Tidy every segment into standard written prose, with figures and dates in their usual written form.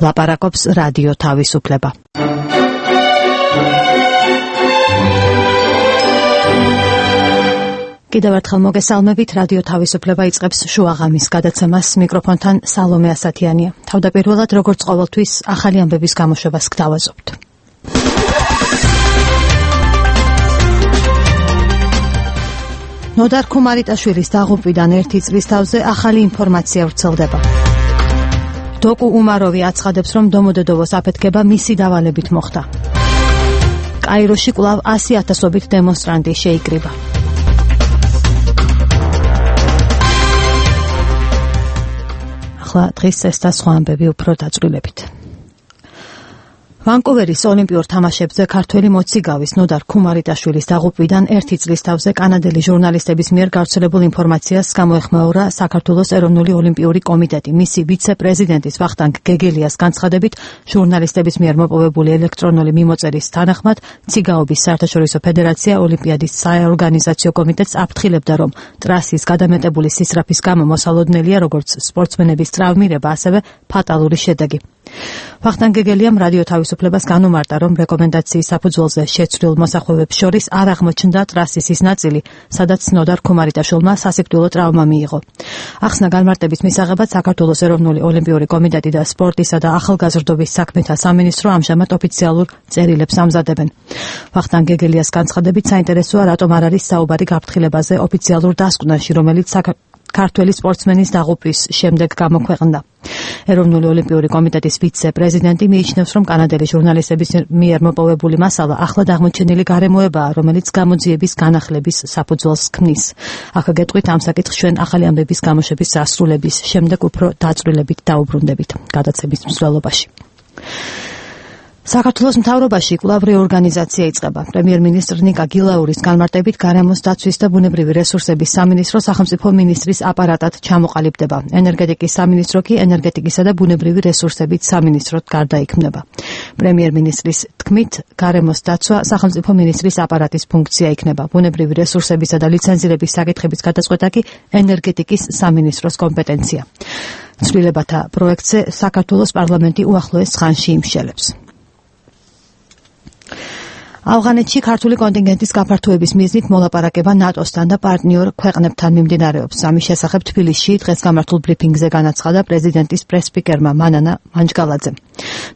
ლაპარაკობს რადიო თავისუფლება. კიდევ ერთხელ მოგესალმებით, რადიო თავისუფლება იწყებს შუაღამის გადაცემას, მიკროფონთან სალომე ასათიანია. თავდაპირველად, როგორც ყოველთვის, ახალი ამბების გამოშვებას გთავაზობთ. ნოდარ ქუმარიტაშვილის დაღუპვიდან 1 წლის თავზე ახალი ინფორმაცია ვრცელდება. დოკუ უმაროვი აცხადებს, რომ დომოდედოვოს აფეთქება მისი დავალებით მოხდა. კაიროში კვლავ 100,000-ობით დემონსტრანტი შეიკრიბა. ახლა დღის ეს და სხვა ამბები უფრო დაწვრილებით. ვანკუვერის ოლიმპიურ თამაშებზე ქართველი მოციგავის ნოდარ ქუმარიტაშვილის დაღუპვიდან 1 წლის თავზე კანადელი ჟურნალისტების მიერ გავრცელებულ ინფორმაციას გამოეხმაურა საქართველოს ეროვნული ოლიმპიური კომიტეტი. მისი ვიცე-პრეზიდენტის ვახტანგ გეგელიას განცხადებით, ჟურნალისტების მიერ მოპოვებული ელექტრონული მიმოწერის თანახმად, ციგაობის საერთაშორისო ფედერაცია ოლიმპიადის საორგანიზაციო კომიტეტს აფრთხილებდა, რომ ტრასის გადამეტებული სისწრაფის გამო მოსალოდნელია როგორც სპორტსმენების ტრავმირება, ასევე ფატალური შედეგი. ვახტანგ გეგელიამ რადიო თავისუფლებას განუმარტა, რომ რეკომენდაციის საფუძველზე შეცვლილ მოსახვევებს შორის არ აღმოჩნდა ტრასის ის ნაწილი, სადაც ნოდარ ქუმარიტაშვილმა სასიკვდილო ტრავმა მიიღო. ახსნა განმარტების მისაღებად საქართველოს ეროვნული ოლიმპიური კომიტეტი და სპორტისა და ახალგაზრდობის საქმეთა სამინისტრო ამჟამად ოფიციალურ წერილებს ამზადებენ. ვახტანგ გეგელიას განცხადებით, საინტერესოა, რატომ არ არის საუბარი გაფრთხილებაზე ოფიციალურ დასკვნაში, რომელიც ქართველი სპორტსმენის დაღუპვის შემდეგ გამოქვეყნდა. ეროვნული ოლიმპიური კომიტეტის ვიცე-პრეზიდენტი მიიჩნევს, რომ კანადელი ჟურნალისტების მიერ მოპოვებული მასალა ახლად აღმოჩენილი გარემოებაა, რომელიც გამოძიების განახლების საფუძველს ქმნის. აქ გეტყვით ამ საკითხს ჩვენ ახალი ამბების გამოშვების დასრულების შემდეგ უფრო დაწვრილებით დაუბრუნდებით გადაცემის მსვლელობაში. საქართველოს მთავრობაში კვლავ რეორგანიზაცია იწყება. პრემიერ-მინისტრ ნიკა გილაურის განმარტებით, გარემოს დაცვის და ბუნებრივი რესურსების სამინისტრო სახელმწიფო მინისტრის აპარატად ჩამოყალიბდება. ენერგეტიკის სამინისტრო კი ენერგეტიკისა და ბუნებრივი რესურსების სამინისტროდ გარდაიქმნება. პრემიერ-მინისტრის თქმით, გარემოს დაცვა სახელმწიფო მინისტრის აპარატის ფუნქცია იქნება. ბუნებრივი რესურსებისა და ლიცენზირების საკითხების გადაწყვეტა კი ენერგეტიკის სამინისტროს კომპეტენცია. ცვლილებათა პროექტზე საქართველოს პარლამენტი უახლოეს ხანში იმშელებს. ავღანეთში ქართული კონტინგენტის გაფართოების მიზნით მოლაპარაკება ნატოსთან და პარტნიორ ქვეყნებთან მიმდინარეობს. ამის შესახებ თბილისში დღეს გამართულ ბრიფინგზე განაცხადა პრეზიდენტის პრეს-სპიკერმა მანანა მანჯგალაძემ.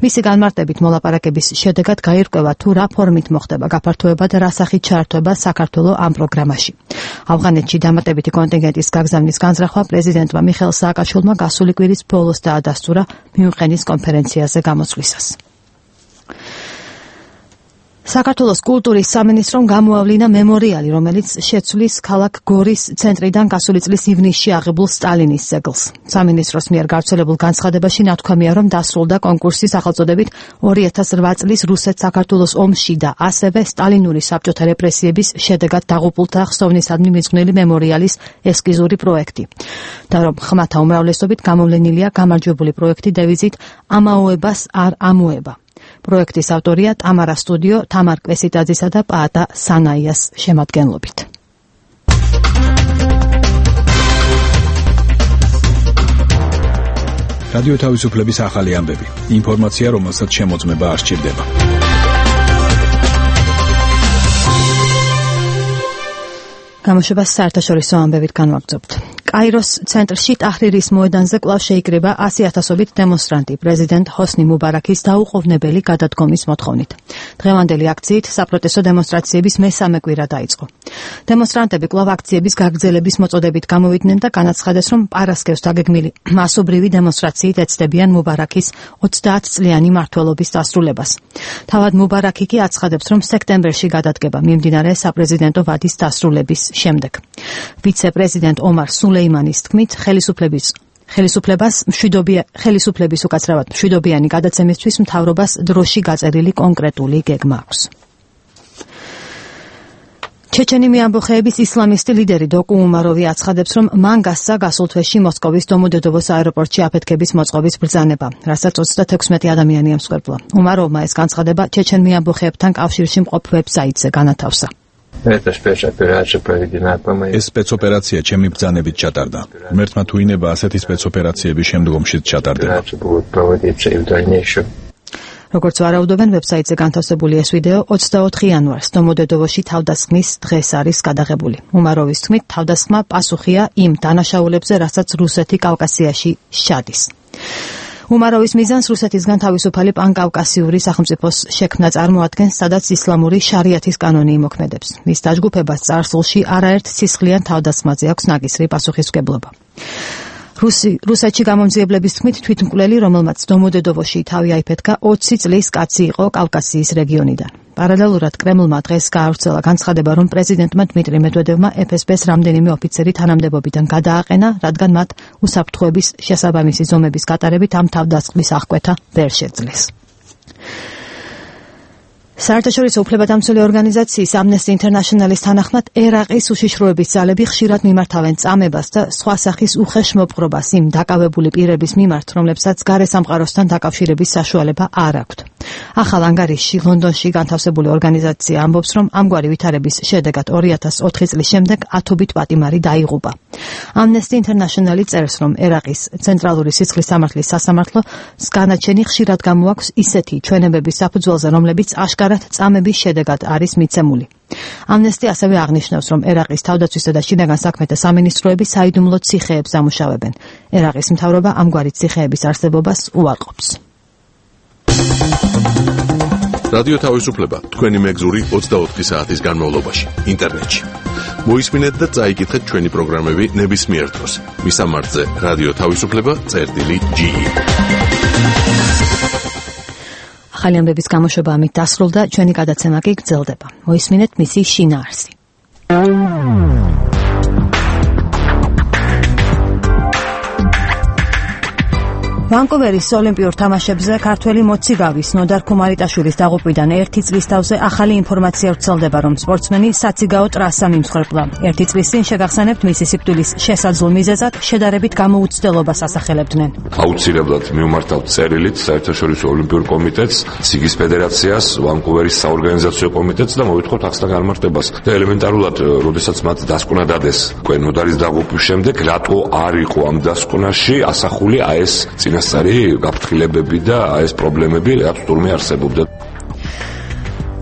მისი განმარტებით, მოლაპარაკების შედეგად გაირკვევა, თუ რა ფორმით მოხდება გაფართოება და რა სახით ჩაერთვება საქართველო ამ პროგრამაში. ავღანეთში დამატებითი კონტინგენტის გაგზავნის განზრახვა პრეზიდენტმა მიხეილ სააკაშვილმა გასული კვირის ბოლოს დაადასტურა მიუნხენის კონფერენციაზე გამოსვლისას. საქართველოს კულტურის სამინისტრომ გამოავლინა მემორიალი, რომელიც შეცვლის ქალაქ გორის ცენტრიდან გასული წლის ივნისში აღებულ სტალინის ძეგლს. სამინისტროს მიერ გავრცელებულ განცხადებაში ნათქვამია, რომ დასრულდა კონკურსი სახელწოდებით 2008 წლის რუსეთ-საქართველოს ომში და ასევე სტალინური საბჭოთა რეპრესიების შედეგად დაღუპულთა ხსოვნისადმი მიძღვნილი მემორიალის ესკიზური პროექტი. და რომ ხმათა უმრავლესობით გამოვლენილია გამარჯვებული პროექტი დევიზით „ამაოებას არ ამოება“. პროექტის ავტორია ტამარა სტუდიო, თამარ კვესიტაძისა და პაატა სანაიას შემადგენლობით. რადიო თავისუფლების ახალი ამბები. ინფორმაცია, რომელსაც შემოწმება არ სჭირდება. გამოშვებას საერთაშორისო ამბებით განვაგრძობთ. კაიროს ცენტრში ტაჰრირის მოედანზე კვლავ შეიკრიბა 100,000-ობით დემონსტრანტი პრეზიდენტ ჰოსნი მუბარაქის დაუყოვნებელი გადადგომის მოთხოვნით. დღევანდელი აქციით საპროტესტო დემონსტრაციების მესამე კვირა დაიწყო. დემონსტრანტები კვლავ აქციების გაგრძელების მოწოდებით გამოვიდნენ და განაცხადეს, რომ პარასკევს დაგეგმილი მასობრივი დემონსტრაციით ეცდებიან მუბარაქის 30 წლიანი მმართველობის დასრულებას. თავად მუბარაკი კი აცხადებს, რომ სექტემბერში გადადგება მიმდინარე საპრეზიდენტო ვადის დასრულების შემდეგ. ვიცე-პრეზიდენტ ომარ სულეიმანის თქმით, ხელისუფლების უკაცრავად მშვიდობიანი გადაცემისთვის მთავრობას დროში გაწერილი კონკრეტული გეგმა აქვს. ჩეჩენი მეამბოხეების ისლამისტი ლიდერი დოკუ უმაროვი აცხადებს, რომ მან გასცა გასულ თვეში მოსკოვის დომოდედოვოს აეროპორტში აფეთქების მოწყობის ბრძანება, რასაც 36 ადამიანი ამსხვერპლა. უმაროვმა ეს განცხადება ჩეჩენ მეამბოხეებთან კავშირში მყოფ ვებსაიტზე განათავსა. ეს სპეცოპერაცია ჩემი ბრძანებით ჩატარდა. ღმერთმა თუ ინება ასეთი სპეცოპერაციები შემდგომშიც ჩატარდება. როგორც ვარაუდობენ, ვებსაიტზე განთავსებული ეს ვიდეო 24 იანვარს დომოდედოვოში თავდასხმის დღეს არის გადაღებული. უმაროვის თქმით, თავდასხმა პასუხია იმ დანაშაულებზე, რასაც რუსეთი კავკასიაში შედის. უმაროვის მიზანს რუსეთისგან თავისუფალი პანკავკასიური სახელმწიფოს შექმნა წარმოადგენს, სადაც ისლამური შარიათის კანონი იმოქმედებს. მის დაჯგუფებას წარსულში არაერთ სისხლიან თავდასხმაზე აქვს ნაკისრი პასუხისმგებლობა. რუსეთში გამომძიებლების თქმით, თვითმკვლელი, რომელმაც დომოდედოვოში თავი აიფეთქა, 20 წლის კაცი იყო კავკასიის რეგიონიდან. პარალელურად კრემლმა დღეს გაავრცელა განცხადება, რომ პრეზიდენტმა დმიტრი მედვედევმა FSB-ს რამდენიმე ოფიცერი თანამდებობიდან გადააყენა, რადგან მათ უსაფრთხოების შესაბამისი ზომების გატარებით ამ თავდასხმის აღკვეთა ვერ შეძლეს. საერთაშორისო უფლებადამცველი ორგანიზაციის Amnesty International-ის თანახმად, ერაყის უშიშროების ძალები ხშირად მიმართავენ წამებას და სხვა სახის უხეშმოპყრობას იმ დაკავებული პირების მიმართ, რომლებსაც გარესამყაროსთან დაკავშირების საშუალება არ აქვთ. ახალ ანგარიშში ლონდონში განთავსებული ორგანიზაცია ამბობს, რომ ამგვარი ვითარების შედეგად 2004 წლის შემდეგ 10-ობით პატიმარი დაიღუპა. Amnesty International წერს, რომ ერაყის ცენტრალური სისხლის სამართლის სასამართლოს განაჩენი ხშირად გამოაქვს ისეთი ჩვენებების საფუძველზე, რომლებიც აშკარად წამების შედეგად არის მიცემული. Amnesty ასევე აღნიშნავს, რომ ერაყის თავდაცვისა და შინაგან საქმეთა სამინისტროები საიდუმლო ციხეებს ამუშავებენ. ერაყის მთავრობა ამგვარი ციხეების არსებობას უარყოფს. რადიო თავისუფლება თქვენი მეგზური 24 საათის განმავლობაში ინტერნეტში. მოისმინეთ და წაიკითხეთ ჩვენი პროგრამები ნებისმიერ დროს. მისამართზე რადიო თავისუფლება.ge. ახალი ამბების გამოშვება ამით დასრულდა, ჩვენი გადაცემა კი გრძელდება. მოისმინეთ მისი შინაარსი. ვანკუვერის ოლიმპიურ თამაშებზე ქართველი მოციგავის ნოდარ ქუმარიტაშვილის დაღუპვიდან 1 წლის თავზე ახალი ინფორმაცია ვრცელდება, რომ სპორტსმენი საციგაო ტრასა მიმსხვერპლა. 1 წლის წინ შეგახსენებთ, მისი სიკვდილის შესაძლო მიზეზად შედარებით გამოუცდელობას ასახელებდნენ. აუცილებლად მივმართავთ წერილით საერთაშორისო ოლიმპიურ კომიტეტს, სიგის ფედერაციას, ვანკუვერის საორგანიზაციო კომიტეტს და მოვითხოვთ ახსნა განმარტებას. და ელემენტარულად, როდესაც მათ დასკვნა დადეს ნოდარის დაღუპვის შემდეგ, რატო არ იყო ამ დასკვნაში ასახული ეს წინასწარი გაფრთხილებები და ეს პრობლემები, რაც თურმე არსებობდა.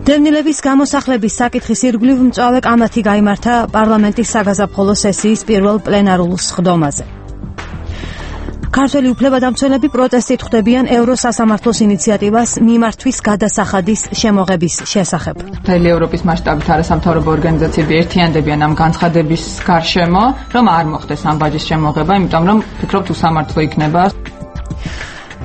დევნილების გამოსახლების საკითხის ირგვლივ მწვავე კამათი გაიმართა პარლამენტის საგაზაფხულო სესიის პირველ პლენარულ სხდომაზე. ქართველი უფლებადამცველები პროტესტით ხვდებიან ევროსასამართლოს ინიციატივას მიმართვის გადასახადის შემოღების შესახებ. მთელი ევროპის მასშტაბით არასამთავრობო ორგანიზაციები ერთიანდებიან ამ განცხადების გარშემო, რომ არ მოხდეს ამ ბაჯის შემოღება, იმიტომ რომ ფიქრობთ უსამართლო იქნება.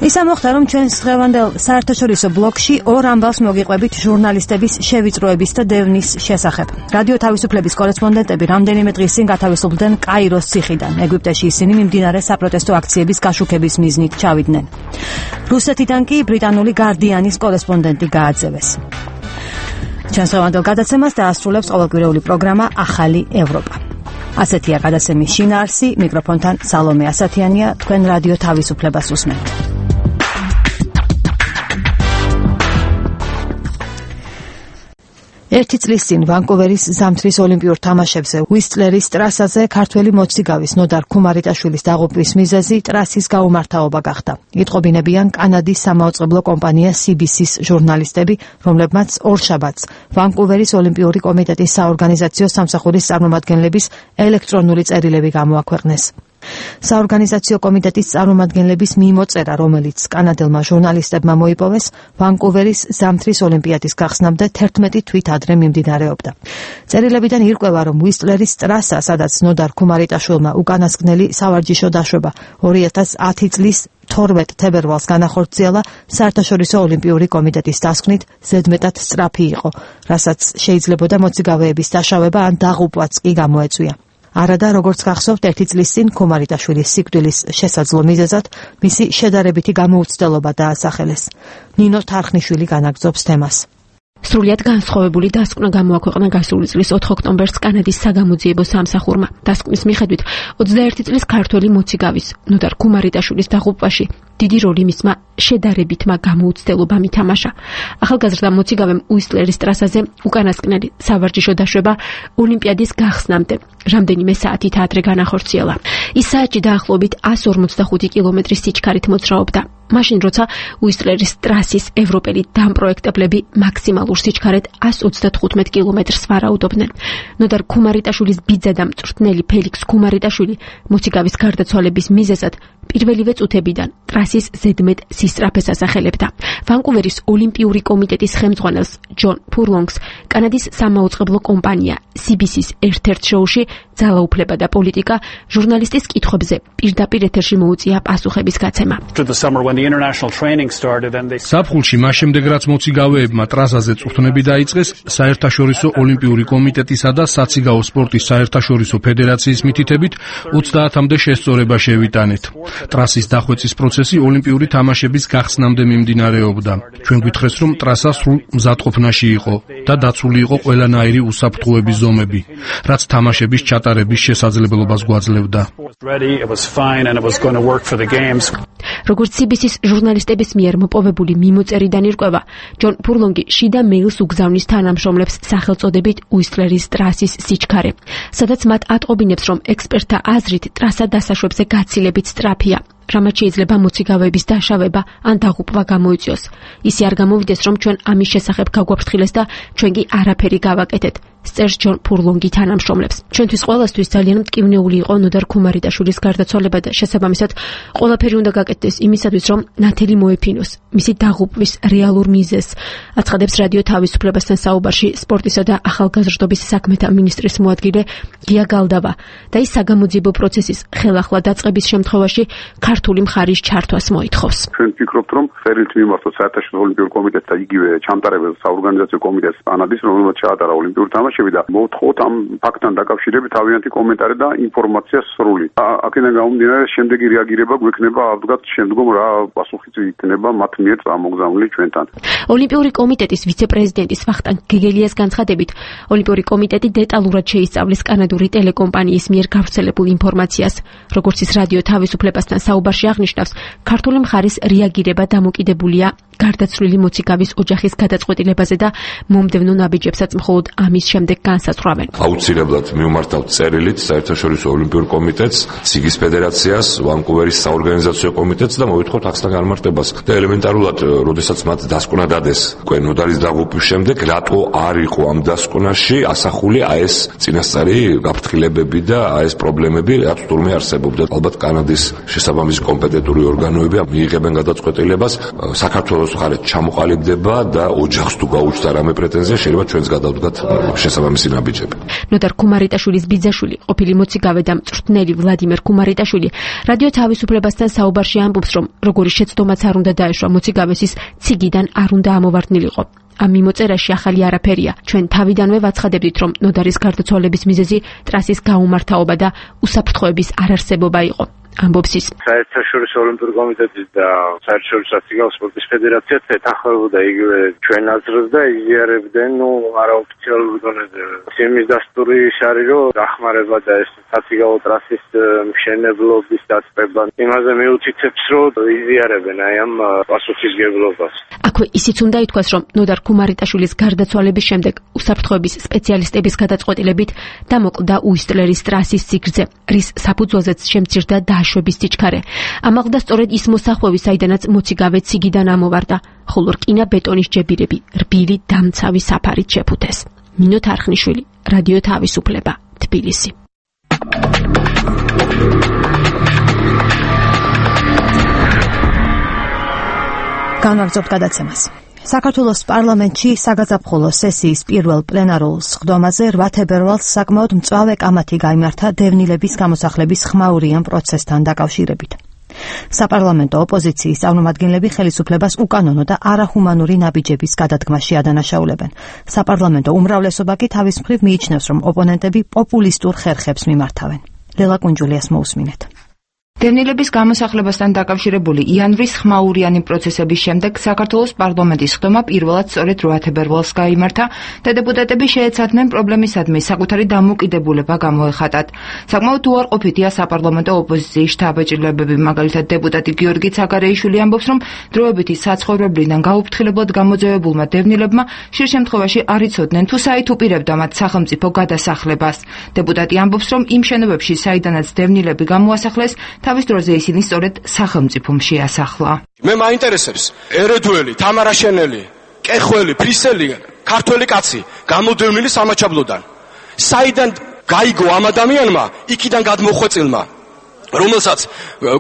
ის ამოხდა, რომ ჩვენს დღევანდელ საერთაშორისო ბლოკში ორ ამბავს მოგიყვებით ჟურნალისტების შევიწროების და დევნის შესახებ. რადიო თავისუფლების კორესპონდენტები რამდენიმე დღის წინ გათავისუფლდნენ კაიროს ციხიდან. ეგვიპტეში ისინი მიმდინარე საპროტესტო აქციების გაშუქების მიზნით ჩავიდნენ. რუსეთიდან კი ბრიტანული გარდიანის კორესპონდენტი გააძევეს. ჩვენს დღევანდელ გადაცემას დაასრულებს ყოველკვირეული პროგრამა ახალი ევროპა. ასეთია გადაცემის შინაარსი, მიკროფონთან სალომე ასათიანია, თქვენ რადიო თავისუფლებას უსმენთ. ერთი წლის წინ ვანკუვერის ზამთრის ოლიმპიურ თამაშებზე უისტლერის ტრასაზე ქართველი მოციგავის ნოდარ ქუმარიტაშვილის დაღუპვის მიზეზი ტრასის გაუმართავობა გახდა. იტყობინებიან კანადის სამაუწყებლო კომპანია CBC-ის ჟურნალისტები, რომლებმაც ორშაბათს ვანკუვერის ოლიმპიური კომიტეტის საორგანიზაციო სამსახურის წარმომადგენლების ელექტრონული წერილები გამოაქვეყნეს. საორგანიზაციო კომიტეტის წარმომადგენლების მიმოწერა, რომელიც კანადელმა ჟურნალისტებმა მოიპოვეს, ვანკუვერის ზამთრის ოლიმპიადის გახსნამდე 11 თვით ადრე მიმდინარეობდა. წერილებიდან ირკვევა, რომ უისტლერის ტრასა, სადაც ნოდარ ქუმარიტაშვილმა უკანასკნელი სავარჯიშო დაშვება 2010 წლის 12 თებერვალს განახორციელა, საერთაშორისო ოლიმპიური კომიტეტის დასკვნით ზედმეტად სწრაფი იყო, რასაც შეიძლებოდა მოციგავეების დაშავება ან დაღუპვაც კი გამოეწვია. არადა, როგორც გახსოვთ, 1 წლის წინ ქუმარიტაშვილის სიკვდილის შესაძლო მიზეზად მისი შედარებითი გამოუცდელობა დაასახელეს. ნინო თარხნიშვილი განაგრძობს თემას. სრულიად განსხვავებული დასკვნა გამოაქვეყნა გასული წლის 4 ოქტომბერს კანადის საგამოძიებო სამსახურმა. დასკვნის მიხედვით 21 წლის ქართველი მოციგავის ნოდარ ქუმარიტაშვილის დაღუპვაში დიდი როლი მისმა შედარებითმა გამოუცდელობამ ითამაშა. ახალგაზრდა მოციგავემ უისლერის ტრასაზე უკანასკნელი სავარჯიშო დაშვება ოლიმპიადის გახსნამდე რამდენიმე საათით ადრე განახორციელა. ის საათში დაახლოებით 145 კილომეტრის სიჩქარით მოძრაობდა. მაშინ როცა უისლერის ტრასის ევროპელი დამპროექტებლები მაქსიმალურ სიჩქარით 135 კილომეტრს ვარაუდობდნენ. ნოდარ ქუმარიტაშვილის ბიძა და მწვრთნელი ფელიქს ქუმარიტაშვილი მოციგავის გარდაცვალების მიზეზად პირველივე წუთებიდან ტრასის ზედმეტ სისწრაფეს ასახელებდა. ვანკუვერის ოლიმპიური კომიტეტის ხელმძღვანელს ჯონ ფურლონგს კანადის სამაუწყებლო კომპანია CBC-ის ერთ-ერთ შოუში ძალაუფლება და პოლიტიკა ჟურნალისტის კითხვებზე პირდაპირ ეთერში მოუწია პასუხების გაცემა. საფხულში მას შემდეგ რაც მოციგავეებმა ტრასაზე წვრთნები დაიწყეს, საერთაშორისო ოლიმპიური კომიტეტისა და საციგაო სპორტის საერთაშორისო ფედერაციის მითითებით 30-მდე შესწორება შევიტანეთ. ტრასის დახვეწის პროცესი ოლიმპიური თამაშების გახსნამდე მიმდინარეობდა. ჩვენ გვითხრეს, რომ ტრასა სრულ მზადყოფნაში იყო და დაცული იყო ყველანაირი უსაფრთხოების ზომები, რაც თამაშების ჩატარების შესაძლებლობას გვაძლევდა. როგორც CBC-ის ჟურნალისტების მიერ მოპოვებული მიმოწერიდან ირკვევა, ჯონ ფურლონგი შიდა მეილს უგზავნის თანამშრომლებს სახელწოდებით უისლერის ტრასის სიჩქარე, სადაც მათ ატყობინებს, რომ ექსპერტთა აზრით ტრასა დასაშვებზე გაცილებით სწრაფია, რამაც შეიძლება მოციგავეების დაშავება ან დაღუპვა გამოიწვიოს. ისე არ გამოვიდეს, რომ ჩვენ ამის შესახებ გაგვაფრთხილეს და ჩვენ კი არაფერი გავაკეთეთ. სწერს ჯონ ფურლონგი თანამშრომლებს. ჩვენთვის ყველასთვის ძალიან მტკივნეული იყო ნოდარ ქუმარიტაშვილის გარდაცვალება და შესაბამისად ყველაფერი უნდა გაკეთდეს იმისათვის, რომ ნათელი მოეფინოს მისი დაღუპვის რეალურ მიზეზს. აცხადებს რადიო თავისუფლებასთან საუბარში სპორტისა და ახალგაზრდობის საქმეთა მინისტრის მოადგილე გია გალდავა და ის საგამოძიებო პროცესის ხელახლა დაწყების შემთხვევაში ქართული მხარის ჩართვას მოითხოვს. ჩვენ ვფიქრობთ, რომ წერილით მიმართოთ საერთაშორისო ოლიმპიურ კომიტეტს და იგივე ჩამტარებელ საორგანიზაციო კომიტეტს კანადის, რომელმაც ჩაატარა ოლიმპიური თამაშები და მოვთხოვოთ ამ ფაქტთან დაკავშირებით თავიანთი კომენტარი და ინფორმაცია სრული. აქედან გამომდინარე, შემდეგი რეაგირება გვექნება აბსოლუტურად შემდგომ რა პასუხიც იქნება მათ მიერ წამოგზავნილი ჩვენთან. ოლიმპიური კომიტეტის ვიცე-პრეზიდენტის ვახტანგ გეგელიას განცხადებით, ოლიმპიური კომიტეტი დეტალურად შეისწავლის კანადური ტელეკომპანიის მიერ გავრცელებულ ინფორმაციას. როგორც ის რადიო თავისუფლებასთან საუბარში აღნიშნავს, ქართული მხარის რეაგირება დამოკიდებულია გარდაცვლილი მოციგავის ოჯახის გადაწყვეტილებაზე და მომდევნო ნაბიჯებსაც მხოლოდ ამის შემდეგ განსაზღვრავენ. აუცილებლად მივმართავთ წერილით საერთაშორისო ოლიმპიურ კომიტეტს, სიგის ფედერაციას, ვანკუვერის საორგანიზაციო კომიტეტს და მოვითხოთ აქსთან განმარტებას. და ელემენტარულად, როდესაც მათ დასკვნა დადეს ნოდარის დაღუპვის შემდეგ, რატო არ იყო ამ დასკვნაში ასახული ეს წინასწარი გაფრთხილებები და ეს პრობლემები, რაც თურმე არსებობდა. ალბათ კანადის შესაბამისი კომპეტენტური ორგანოები მიიღებენ გადაწყვეტილებას, საქართველოს მხარე ჩამოყალიბდება და ოჯახს თუ გაუჩნდა რამე პრეტენზია, შეიძლება ჩვენს გადავდგათ შესაბამისი ნაბიჯები. ნოდარ ქუმარიტაშვილის ბიძაშვილი, ყოფილი მოციგავე და მწვრთნელი ვლადიმერ ქუმარიტაშვილი რადიო თავისუფლებასთან საუბარში ამბობს, რომ როგორი შეცდომაც არ უნდა დაეშვა მოციგავეს, ის ციგიდან არ უნდა ამოვარდნილიყო. ამ მიმოწერაში ახალი არაფერია. ჩვენ თავიდანვე ვაცხადებდით, რომ ნოდარის გარდაცვალების მიზეზი ტრასის გაუმართავობა და უსაფრთხოების არარსებობა იყო. ამბობს ის. საერთაშორისო ოლიმპიური კომიტეტი და საერთაშორისო საციგაო სპორტის ფედერაციაც ეთანხმებოდა იგივე ჩვენ აზრს და იზიარებდნენ არაოფიციალურ დონეზე. იმის დასტური ის არის, რომ დახმარება და ეს საციგაო ტრასის მშენებლობის დაწყება იმაზე მიუთითებს, რომ იზიარებენ ამ პასუხისმგებლობას. აქვე ისიც უნდა ითქვას, რომ ნოდარ ქუმარიტაშვილის გარდაცვალების შემდეგ უსაფრთხოების სპეციალისტების გადაწყვეტილებით დამოკლდა უისლერის ტრასის სიგრძე, რის საფუძველზეც შემცირდა დაშვების სიჩქარე. ამაღლდა სწორედ ის მოსახვევი, საიდანაც მოციგავე ციგიდან ამოვარდა, ხოლო რკინა ბეტონის ჯებირები რბილი დამცავი საფარით შეფუთეს. ნინო თარხნიშვილი, რადიო თავისუფლება, თბილისი. განვაგრძობთ გადაცემას. საქართველოს პარლამენტში საგაზაფხულო სესიის პირველ პლენარულ სხდომაზე 8 თებერვალს საკმაოდ მწვავე კამათი გაიმართა დევნილების გამოსახლების ხმაურიან პროცესთან დაკავშირებით. საპარლამენტო ოპოზიციის წარმომადგენლები ხელისუფლებას უკანონო და არაჰუმანური ნაბიჯების გადადგმაში ადანაშაულებენ. საპარლამენტო უმრავლესობა კი თავის მხრივ მიიჩნევს, რომ ოპონენტები პოპულისტურ ხერხებს მიმართავენ. ლელა კუნჯულიას მოусმინეთ. დევნილების გამოსახლებასთან დაკავშირებული იანვრის ხმაურიანი პროცესების შემდეგ საქართველოს პარლამენტის ხდომა პირველად სწორედ 8 თებერვალს გაიმართა და დეპუტატები შეეცადნენ პრობლემისადმი საკუთარი დამოუკიდებულება გამოეხატათ. საკმაოდ უარყოფითია საპარლამენტო ოპოზიციის შთაბეჭდილებები, მაგალითად დეპუტატი გიორგი ცაგარეიშვილი ამბობს, რომ დროებითი საცხოვრებლიდან გაუფრთხილებლად გამოძევებულმა დევნილებმა ხშირ შემთხვევაში არ იცოდნენ თუ საით უპირებდა მათ სახელმწიფო გადასახლებას. დეპუტატი ამბობს, რომ იმ შენობებში, საიდანაც დევნილები გამოასახლეს, თავის დროზე ისინი სწორედ სახელმწიფომ შეასახლა. მე მაინტერესებს ერედველი, თამარაშენელი, კეხველი, ფრისელი, ქართველი კაცი გამოდევნილი სამაჩაბლოდან. საიდან გაიგო ამ ადამიანმა იქიდან გადმოხვეწილმა, რომელსაც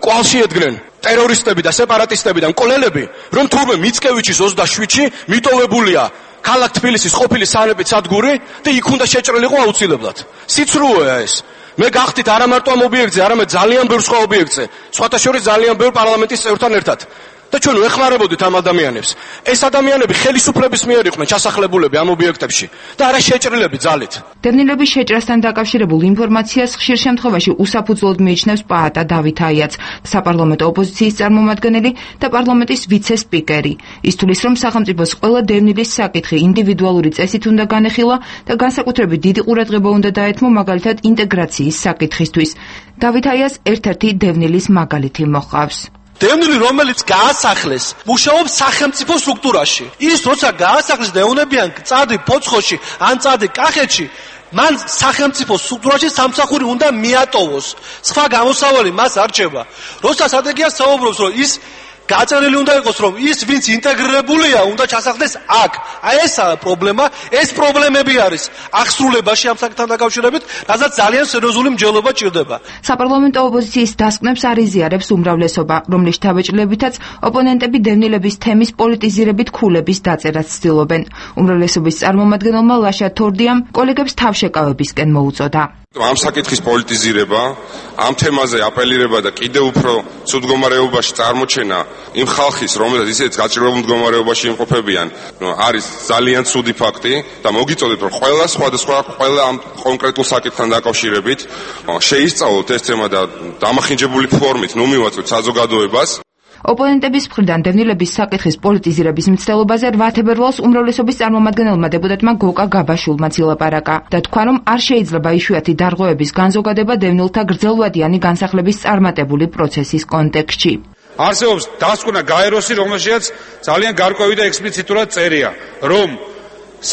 კვალში ედგნენ ტერორისტები და სეპარატისტები და მკვლელები, რომ თურმე მიცკევიჩის 27-ში მიტოვებულია ქალაქ თბილისის ყოფილი სანეპით სადგური და იქ უნდა შეჭრილიყო აუცილებლად. სიცრუეა ეს. მე გახდით არა მარტო ამ ობიექტზე, არამედ ძალიან ბევრ სხვა ობიექტზე, სხვათა შორის ძალიან ბევრ პარლამენტის წევრთან ერთად. და ჩვენ ვეხმარებოდით ამ ადამიანებს. ეს ადამიანები ხელისუფლების მიერ იყვნენ ჩასახლებულები ამ ობიექტებში და არა შეჭრილები ძალით. დევნილების შეჭრასთან დაკავშირებულ ინფორმაციას ხშირ შემთხვევაში უსაფუძვლოდ მიიჩნევს პაატა დავით აიაც, საპარლამენტო ოპოზიციის წარმომადგენელი და პარლამენტის ვიცე-სპიკერი. ის თვლის, რომ სახელმწიფოს ყველა დევნილის საკითხი ინდივიდუალური წესით უნდა განეხილა და განსაკუთრებით დიდი ყურადღება უნდა დაეთმო მაგალითად ინტეგრაციის საკითხისთვის. დავით აიას ერთ-ერთი დევნილის მაგალითი მოჰყავს. დევნილი, რომელიც გაასახლეს, მუშაობს სახელმწიფო სტრუქტურაში. ის როცა გაასახლეს და ეუნებიან წადი ფოცხოში ან წადი კახეთში, მან სახელმწიფო სტრუქტურაში სამსახური უნდა მიატოვოს. სხვა გამოსავალი მას არ რჩება. როცა სტრატეგიას საუბრობს, რომ ის გაწერილი უნდა იყოს, რომ ის ვინც ინტეგრირებულია, უნდა ჩასახლდეს აქ. აი ესაა პრობლემა, ეს პრობლემები არის აღსრულებაში ამ საკითხთან დაკავშირებით, რასაც ძალიან სერიოზული მსჯელობა ჭირდება. საპარლამენტო ოპოზიციის დასკვნებს არ იზიარებს უმრავლესობა, რომლის შთაბეჭდილებითაც ოპონენტები დევნილების თემის პოლიტიზირებით ქულების დაწერას ცდილობენ. უმრავლესობის წარმომადგენელმა ლაშა თორდიამ კოლეგებს თავშეკავებისკენ მოუწოდა. ამ საკითხის პოლიტიზირება, ამ თემაზე აპელირება და კიდევ უფრო ცუდ მდგომარეობაში წარმოჩენა იმ ხალხის, რომელსაც ისეთ გაჭირვებულ მდგომარეობაში იმყოფებიან, არის ძალიან ცუდი ფაქტი და მოგიწოდეთ, რომ ყველა ამ კონკრეტულ საკითხთან დაკავშირებით შეისწავლოთ ეს თემა და დამახინჯებული ფორმით ნუ მივაწვეთ საზოგადოებას. ოპონენტების მხრიდან დევნილების საკითხის პოლიტიზირების მცდელობაზე 8 თებერვალს უმრავლესობის წარმომადგენელმა დეპუტატმა გოკა გაბაშულმაც ილაპარაკა და თქვა, რომ არ შეიძლება იშვიათი დარღვევების განზოგადება დევნილთა გრძელვადიანი განსახლების წარმატებული პროცესის კონტექსტში. არსებობს დასკვნა გაეროსი, რომელშიც ძალიან გარკვევი და ექსპლიციტურად წერია, რომ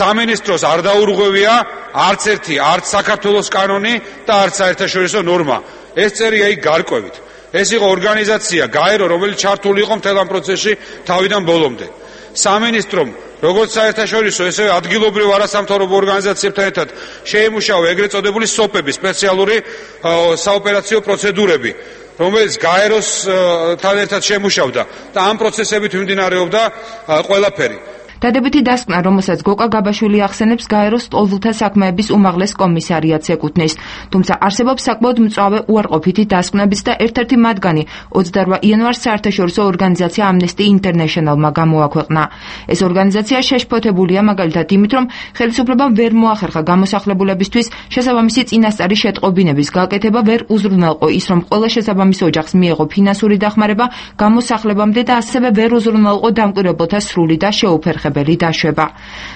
სამინისტროს არ დაურღვევია არც ერთი, არც საქართველოს კანონი და არც საერთაშორისო ნორმა. ეს წერია იქ გარკვევით. ეს იყო ორგანიზაცია გაერო, რომელიც ჩართული იყო მთელ ამ პროცესში თავიდან ბოლომდე. სამინისტრომ როგორც საერთაშორისო, ესევე ადგილობრივ არასამთავრობო ორგანიზაციებთან ერთად შეიმუშავა ეგრეთ წოდებული სოპები, სპეციალური საოპერაციო პროცედურები, რომელიც გაეროსთან ერთად შემუშავდა და ამ პროცესებით მიმდინარეობდა ყველაფერი. დადებითი დასკვნა, რომელსაც გოკა გაბაშვილი ახსენებს, გაეროს ლტოლვილთა საქმეების უმაღლეს კომისარიატს ეკუთვნის. თუმცა არსებობს საკმაოდ მწვავე უარყოფითი დასკვნებიც და ერთ-ერთი მათგანი 28 იანვარს საერთაშორისო ორგანიზაცია Amnesty International-მა გამოაქვეყნა. ეს ორგანიზაცია შეშფოთებულია მაგალითად იმით, რომ ხელისუფლებამ ვერ მოახერხა გამოსახლებულებისთვის შესაბამისი წინასწარი შეტყობინების გაკეთება, ვერ უზრუნველყო ის, რომ ყველა შესაბამის ოჯახს მიეღო ფინანსური დახმარება გამოსახლებამდე და ასევე ვერ უზრუნველყო დამკვირვებელთა სრული და შეუფერხებელი დაშვება.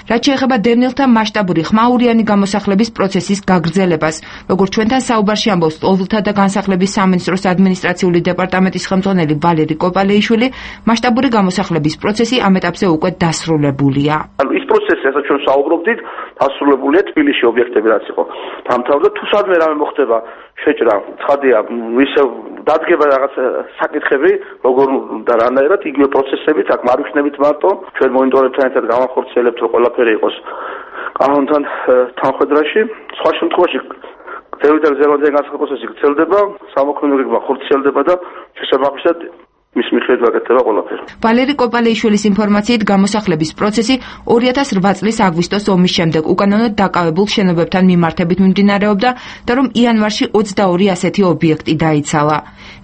რაც შეეხება დევნილთა მასშტაბური ხმაურიანი გამოსახლების პროცესის გაგრძელებას, როგორც ჩვენთან საუბარში ამბობს ლტოლვილთა და განსახლების სამინისტროს ადმინისტრაციული დეპარტამენტის ხელმძღვანელი ვალერი კოპალეიშვილი, მასშტაბური გამოსახლების პროცესი ამ ეტაპზე უკვე დასრულებულია. ის პროცესი, რასაც ჩვენ საუბრობდით, დასრულებულია თბილისში ობიექტები რაც იყო. დამთავრდა თუ სადმე რამე მოხდება შეჭრა, ცხადია, ისე დადგება რაღაც საკითხები, როგორ და რანაირად იგივე პროცესებით, აქ მარვიხნებით მარტო, ჩვენ მონიტორებთან ერთად გავახორციელებთ, რომ ყველაფერი იყოს კანონთან თანხვედრაში. სხვა შემთხვევაში გრძელვადიანი განსახილების პროცესი გრძელდება, სამოქმედო გეგმა ხორციელდება და შესაბამისად მის მიხედვით ვაკეთება ყველაფერი. ვალერი კოპალეიშვილის ინფორმაციით გამოსახლების პროცესი 2008 წლის აგვისტოს ომის შემდეგ უკანონოდ დაკავებულ შენობებთან მიმართებით მიმდინარეობდა და რომ იანვარში 22 ასეთი ობიექტი დაიცალა.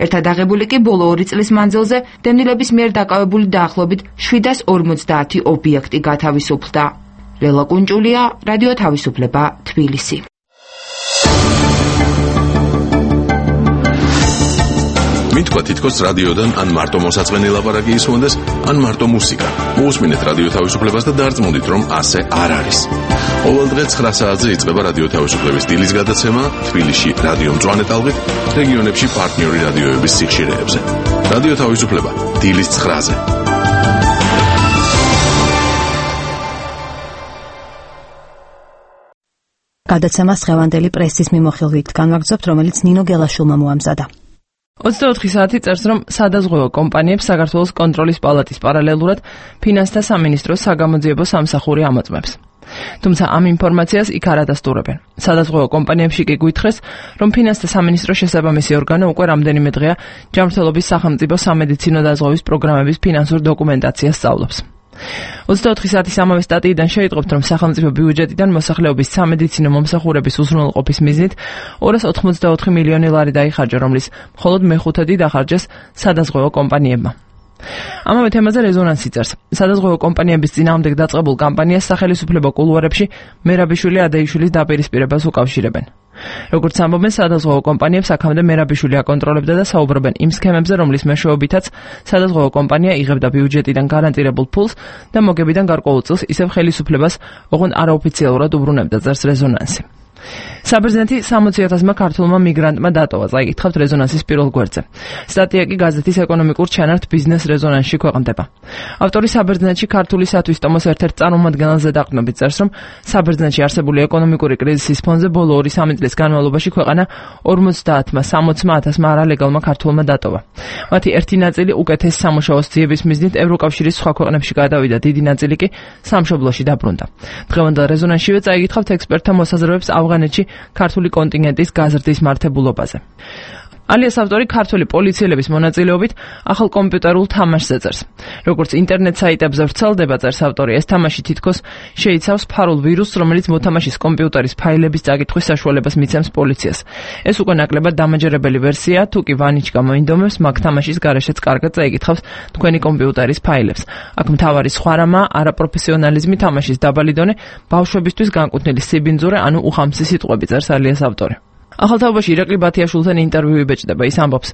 ერთად აღებული კი ბოლო 2 წლის მანძილზე დევნილების მიერ დაკავებული დაახლოებით 750 ობიექტი გათავისუფლდა. ლელა კუნჭულია, რადიო თავისუფლება, თბილისი. მით თქვა თითქოს რადიოდან ან მარტო მოსაწყენი ლაპარაკი ისმონდეს, ან მარტო მუსიკა. მოусმინეთ რადიო თავისუფლებას და დარწმუნდით, რომ ასე არ არის. ყოველ დღე 9 საათზე იწყება რადიო თავისუფლების დილის გადაცემა თბილისში რადიო მწვანე ტალღით, რეგიონებში პარტნიორი რადიოების სიხშირეებზე. რადიო თავისუფლება დილის 9-ზე. გადაცემას დღევანდელი პრესის მიმოხილვით განვაგრძობთ, რომელიც ნინო გელაშვილმა მოამზადა. 24 საათი წერს, რომ სადაზღვევო კომპანიებს საქართველოს კონტროლის პალატის პარალელურად ფინანსთა სამინისტროს საგამოძიებო სამსახური ამოწმებს. თუმცა ამ ინფორმაციას იქ არ ადასტურებენ. სადაზღვევო კომპანიებში კი გვითხრეს, რომ ფინანსთა სამინისტროს შესაბამისი ორგანო უკვე რამდენიმე დღეა ჯანმრთელობის სახელმწიფო სამედიცინო დაზღვევის პროგრამების ფინანსურ დოკუმენტაციას სწავლობს. 24 საათის ამავე სტატიიდან შეიტყობთ, რომ სახელმწიფო ბიუჯეტიდან მოსახლეობის სამედიცინო მომსახურების უზრუნველყოფის მიზნით 284 მილიონი ლარი დაიხარჯა, რომლის მხოლოდ მეხუთედი დახარჯეს სადაზღვევო კომპანიებმა. ამავე თემაზე რეზონანსი წერს. სადაზღვევო კომპანიების წინააღმდეგ დაწყებულ კამპანიას სახელისუფლებო კულუარებში მერაბიშვილი ადეიშვილის დაპირისპირებას უკავშირებენ. როგორც ამბობენ, სადაზღვევო კომპანიებს აქამდე მერაბიშვილი აკონტროლებდა და საუბრობენ იმ სქემებზე, რომლის მეშვეობითაც სადაზღვევო კომპანია იღებდა ბიუჯეტიდან გარანტირებულ ფულს და მოგებიდან გარკვეულ წელს ისევ ხელისუფლებას ოღონდ არაოფიციალურად უბრუნებდა, წერს რეზონანსი. საბერძნეთი 60,000-მა ქართულმა მიგრანტმა დატოვა, წაიკითხავთ რეზონანსის პირველ გვერდზე. სტატია კი გაზეთის ეკონომიკურ ჩანართ ბიზნეს რეზონანსში ქვეყნდება. ავტორი საბერძნეთში ქართული სათვისტომოს ერთ-ერთ წარმომადგენელზე დაყრდნობით წერს, რომ საბერძნეთში არსებული ეკონომიკური კრიზისის ფონზე ბოლო 2-3 წლის განმავლობაში ქვეყანა 50-მა 60,000-მა არალეგალმა ქართულმა დატოვა. მათი ერთი ნაწილი უკეთეს სამუშაოს ძიების მიზნით ევროკავშირის სხვა ქვეყნებში გადავიდა, დიდი ნაწილი კი სამშობლოში დაბრუნდა. დღევანდელ რეზონანსშივე წაიკითხავთ ექსპერტთა მოსაზრებებს ავღანეთში ქართული კონტინგენტის გაზრდის მართებულობაზე. ალიას ავტორი ქართული პოლიციელების მონაწილეობით ახალ კომპიუტერულ თამაშს ეწერს. როგორც ინტერნეტ საიტებზე ვრცელდება, წერს ავტორი, ეს თამაში თითქოს შეიცავს ფარულ ვირუსს, რომელიც მოთამაშის კომპიუტერის ფაილების წაკითხვის საშუალებას მიცემს პოლიციას. ეს უკვე ნაკლებად დამაჯერებელი ვერსია, თუ კი ვანიჩკა მოინდომებს, მაგ თამაშის გარეშეც კარგად წაიკითხავს თქვენი კომპიუტერის ფაილებს. აქ მთავარი სხვა რამაა არაპროფესიონალიზმი, თამაშის დაბალი დონე, ბავშვებისთვის განკუთვნილი სიბინძურე, ანუ უხამსი სიტყვები, წერს ალიას ავტორი. ახალთაობაში ირაკლი ბათიაშვილთან ინტერვიუ იბეჭდება, ის ამბობს: